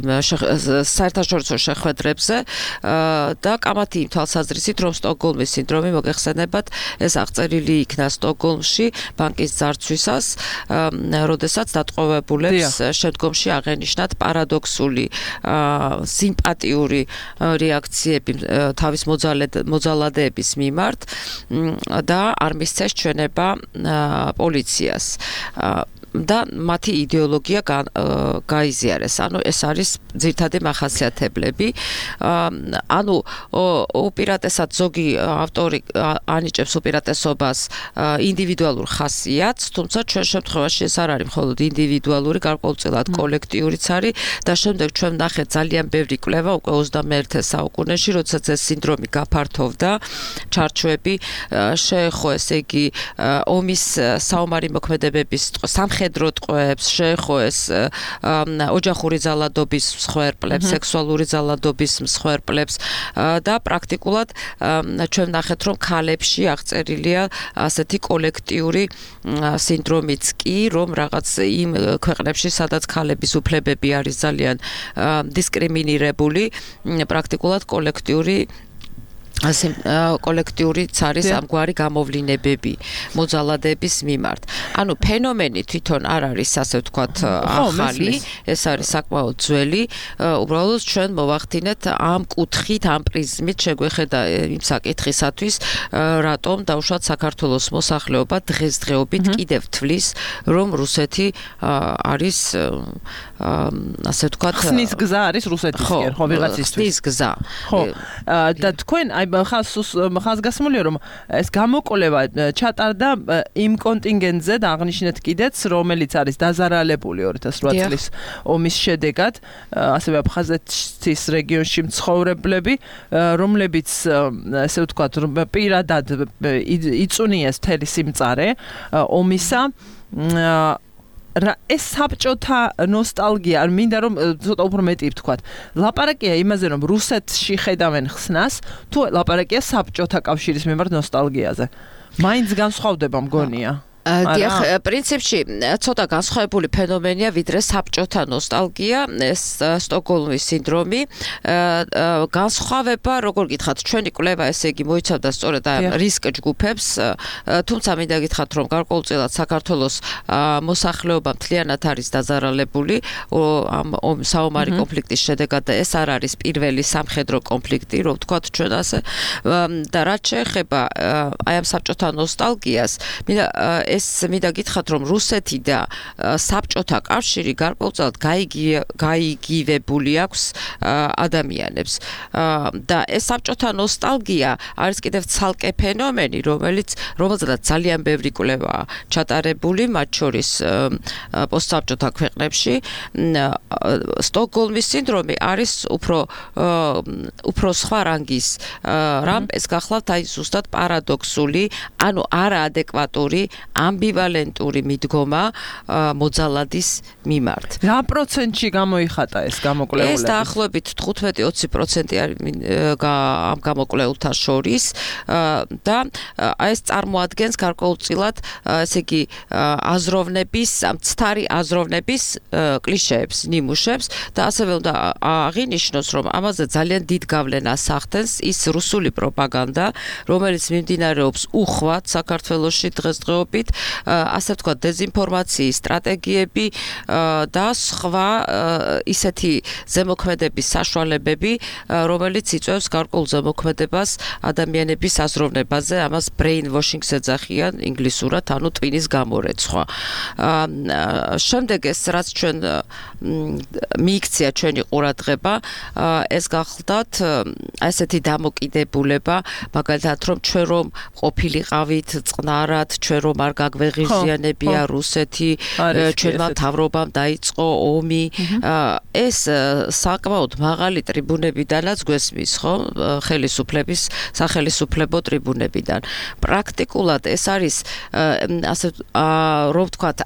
საერთაშორისო შეხვედრებზე და კამათი იმ თვალსაზრისით, რომ სტოკჰოლმის სინდრომი მოგეხსენებათ, ეს აღწერილი იქნა სტოკჰოლმში ბანკის ძარცვისას, როდესაც დატყვევებულებს შემდგომში აღენიშნათ პარადოქსული სიმპათიური რეაქციები თავის მოძალადეების მიმართ და არ მისცეს ჩვენება პოლიციას. და მათი იდეოლოგია გაიზიარეს. ანუ ეს არის ძირითადი მახასიათებლები. ანუ უპირატესად ზოგი ავტორი ანიჭებს უპირატესობას ინდივიდუალურ ხასიათს, თუმცა ჩვენ შემთხვევაში ეს არ არის მხოლოდ ინდივიდუალური, გარკვეულწილად კოლექტიურიც არის და შემდეგ ჩვენ ნახეთ ძალიან ბევრი კვლევა უკვე 21 საუკუნეში, როდესაც ეს სინდრომი გაფართოვდა, ჩარჩოები შეეხო, ესე იგი, ომის საომარი მოქმედებების სამხედრო ტყვეებს, შეეხო ეს ოჯახური ძალადობის მსხვერპლებს, სექსუალური ძალადობის მსხვერპლებს და პრაქტიკულად ჩვენ ნახეთ, რომ ქალებში აღწერილია ასეთი კოლექტიური სინდრომიც კი, რომ რაღაც იმ ქვეყნებში, სადაც ქალების უფლებები არის ძალიან დისკრიმინირებული, პრაქტიკულად კოლექტიური ასე კოლექტიურიც არის ამგვარი გამოვლინებები მოძალადების მიმართ. ანუ ფენომენი თვითონ არ არის ასე ვთქვათ ახალი, ეს არის საკმაოდ ძველი, უბრალოდ ჩვენ მოვახდინეთ ამ კუთხით, ამ პრიზმით შეგვეხედა იმ საკითხისათვის, რატომ დაუშვათ საქართველოს მოსახლეობა დღესდღეობით კიდევ თვლის, რომ რუსეთი არის ასე ვთქვათ ხსნის გზა არის რუსეთისკენ, ხო, ვიღაცისთვის. ხსნის გზა. ხო. და თქვენ აი ხაზგასმულია რომ ეს გამოკვლევა ჩატარდა იმ კონტინგენტზე და აღნიშნეთ კიდეც რომელიც არის დაზარალებული 2008 წლის ომის შედეგად ასევე აფხაზეთის რეგიონში მცხოვრებლები რომლებიც ესე ვთქვათ პირადად იწუნიეს მთელი სიმწარე ომისა ეს საბჭოთა ნოსტალგია, არ მინდა რომ ცოტა უფრო მეტი ვთქვათ. ლაპარაკია იმაზე, რომ რუსეთში ხედავენ ხსნას, თუ ლაპარაკია საბჭოთა კავშირის მიმართ ნოსტალგიაზე. მაინც განსხვავდება მგონია. დიახ, პრინციპში ცოტა განსხვავებული ფენომენია, ვიდრე საბჭოთა ნოსტალგია, ეს სტოკჰოლმის სინდრომი. განსხვავება, როგორ გითხრათ, ჩვენი კვლევა ესე იგი მოიცავდა სწორედ ამ რისკ ჯგუფებს, თუმცა მინდა გითხრათ, რომ გარკვეულწილად საქართველოს მოსახლეობა მთლიანად არის დაზარალებული ამ საომარი კონფლიქტის შედეგად და ეს არ არის პირველი სამხედრო კონფლიქტი, რომ ვთქვათ ჩვენ ასე. და რაც შეეხება აი ამ საბჭოთა ნოსტალგიას, ეს მინდა გითხრათ, რომ რუსეთი და საბჭოთა კავშირი გარკვეულწილად გაიგივებული აქვს ადამიანებს. და ეს საბჭოთა ნოსტალგია არის კიდევ ცალკე ფენომენი, რომელზეც ძალიან ბევრი კვლევაა ჩატარებული, მათ შორის პოსტსაბჭოთა ქვეყნებში. სტოკჰოლმის სინდრომი არის უფრო სხვა რანგის რამ, ეს გახლავთ აი ზუსტად პარადოქსული, ანუ არაადეკვატური ამბივალენტური მიდგომა მოძალადის მიმართ. რა პროცენტში გამოიხატა ეს გამოკვლეულები? ეს დაახლოებით 15-20% არის ამ გამოკვლეულთა შორის და ეს წარმოადგენს გარკვეულწილად ესე იგი აზროვნების, მცდარი აზროვნების კლიშეებს, ნიმუშებს და ასევე უნდა აღინიშნოს, რომ ამაზე ძალიან დიდ გავლენას ახდენს ის რუსული პროპაგანდა, რომელიც მიმდინარეობს უხვად საქართველოში დღესდღეობით, ასე ვთქვათ, დეზინფორმაციის სტრატეგიები და სხვა ისეთი ზემოქმედების საშუალებები, რომელიც იწვევს გარკვეულ ზემოქმედებას ადამიანების აზროვნებაზე, ამას brainwashing-ს ეძახიან ინგლისურად, ანუ ტვინის გამორეცხვა. შემდეგ ეს რაც ჩვენ მიიქცია ჩვენი ყურადღება, ეს გახლდათ ასეთი დამოკიდებულება, მაგალითად, რომ ჩვენ რომ ყოფილიყავით წყნარად, ჩვენ რომ არ გაგვეღიზიანებია რუსეთი, ჩვენმა მთავრობამ დაიწყო ომი. ეს საკმაოდ მაღალი ტრიბუნებიდანაც გვესმის, ხო? ხელისუფლების სახელისუფლებო ტრიბუნებიდან. პრაქტიკულად ეს არის ასე რომ ვთქვათ,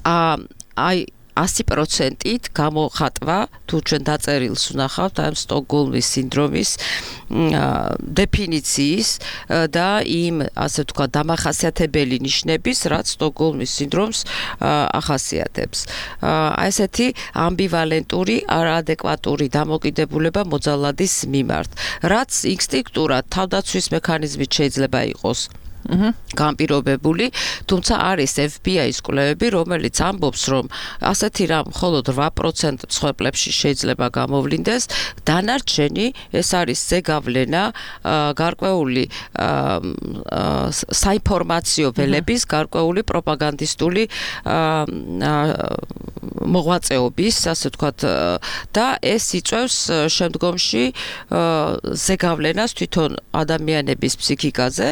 აი 100%-ით გამოხატვა, თუ ჩვენ დაწერილს ვნახავთ ამ სტოკჰოლმის სინდრომის დეფინიციის და იმ ასე ვთქვათ დამახასიათებელი ნიშნების, რაც სტოკჰოლმის სინდრომს ახასიათებს. ესეთი ამბივალენტური, არაადეკვატური დამოკიდებულება მოძალადის მიმართ, რაც ინსტინქტურად თავდაცვის მექანიზმით შეიძლება იყოს განპირობებული, თუმცა არის FBI-ის კვლევები, რომელიც ამბობს, რომ ასეთი რამ მხოლოდ 8% მსხვერპლებში შეიძლება გამოვლინდეს, დანარჩენი ეს არის ზეგავლენა გარკვეული საინფორმაციო ველების, გარკვეული პროპაგანდისტული მოღვაწეობის, ასე ვთქვათ, და ეს იწვევს შემდგომში ზეგავლენას თვითონ ადამიანების ფსიქიკაზე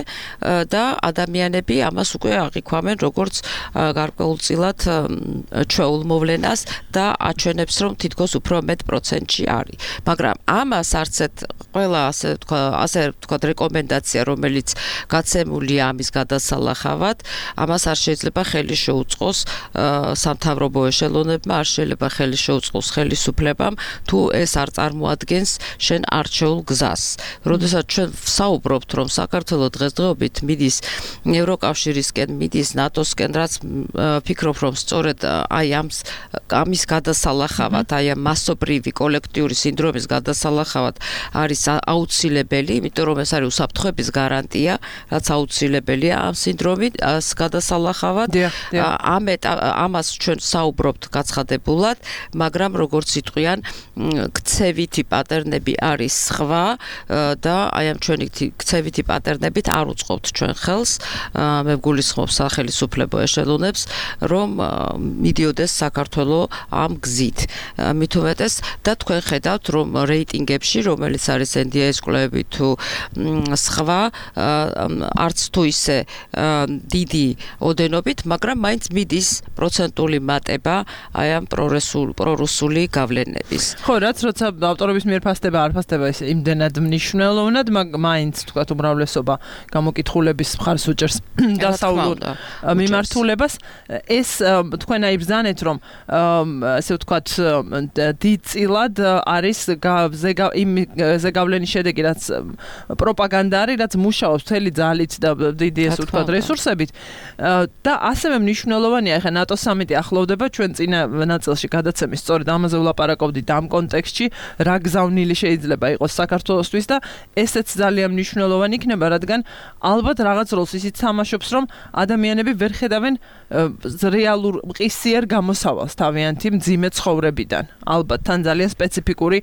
და ადამიანები ამას უკვე აღიქვამენ როგორც გარკვეულწილად ჩვეულ მოვლენას და აჩვენებს, რომ თითქოს უფრო მეტ პროცენტში არის. მაგრამ ამას არცეთ ყველა ასე ვთქვათ რეკომენდაცია, რომელიც გაცემულია ამის გადასალახავად, ამას არ შეიძლება ხელი შეუწყოს სამთავრობო ეშელონებმა მთავრობებმა არ შეიძლება ხელი შეუწყოს ხელისუფლებამ თუ ეს არ წარმოადგენს შენ არჩეულ გზას. როდესაც ჩვენ ვსაუბრობთ რომ საქართველოს დღესდღეობით მიდის ევროკავშირისკენ, მიდის ნატოსკენ, რაც ფიქრობ რომ სწორედ აი ამის გადასალახავად, აი ამ მასობრივი კოლექტიური სინდრომის გადასალახავად არის აუცილებელი, იმიტომ რომ ეს არის უსაფრთხოების გარანტია, რაც აუცილებელია ამ სინდრომის გადასალახავად. ამას ჩვენ საუბრობთ გაცხადებულად, მაგრამ როგორც იტყვიან, ქცევითი პატერნები არის სხვა და აი ამ ჩვენი ქცევითი პატერნებით არ უწყობთ ჩვენ ხელს. მე ვგულისხმობ სახელმწიფო ეშელონებს, რომ მიდიოდეს საქართველოს ამ გზით. მით უმეტეს და თქვენ ხედავთ, რომ რეიტინგებში, რომელიც არის NDI-ის კვლევები თუ სხვა, არც თუ ისე დიდი ოდენობით, მაგრამ მაინც მიდის პროცენტული მატება აი ამ პრორუსული გავლენების. ხო, რაც როცა ავტორების მიერ ფასდება, არ ფასდება ისე იმდენად მნიშვნელოვნად, მაინც თქვათ უმრავლესობა გამოკითხულების მხარს უჭერს დასავლურ მიმართულებას. ეს თქვენ აი ბრძანეთ, რომ ასე ვთქვათ, დიდწილად არის ზეგავლენის შედეგი, რაც პროპაგანდა არის, რაც მუშაობს მთელი ძალით და დიდი ასე ვთქვათ რესურსებით და ასევე მნიშვნელოვანია, ახლა ნატოს სამიტი ახლოვდება, ჩვენ წინა ნაწილში გადაცემის სწორედ ამაზე ვლაპარაკობდით ამ კონტექსტში, რა გზავნილი შეიძლება იყოს საქართველოსთვის და ესეც ძალიან მნიშვნელოვანი იქნება, რადგან ალბათ რაღაც როლს ისიც თამაშობს, რომ ადამიანები ვერ ხედავენ რეალურ მყისიერ გამოსავალს თავიანთი მძიმე ცხოვრებიდან. ალბათ თან ძალიან სპეციფიკური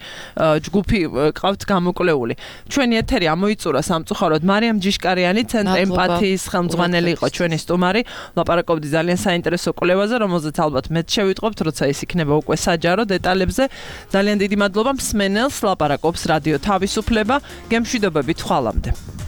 ჯგუფი ყავთ გამოკვლეული. ჩვენი ეთერი ამოიწურა სამწუხაროდ მარიამ ჯიშკარიანი, ცენტრ ემპათიის ხელმძღვანელი იყო ჩვენი სტუმარი. ლაპარაკობდი ძალიან საინტერესო კვლევაზე, რომელზეც ალბათ მეც შევიტყობთ, როცა ის იქნება უკვე საჯარო დეტალებზე. ძალიან დიდი მადლობა მსმენელს, ლაპარაკობს რადიო თავისუფლება. გემშვიდობებით, ხვალამდე.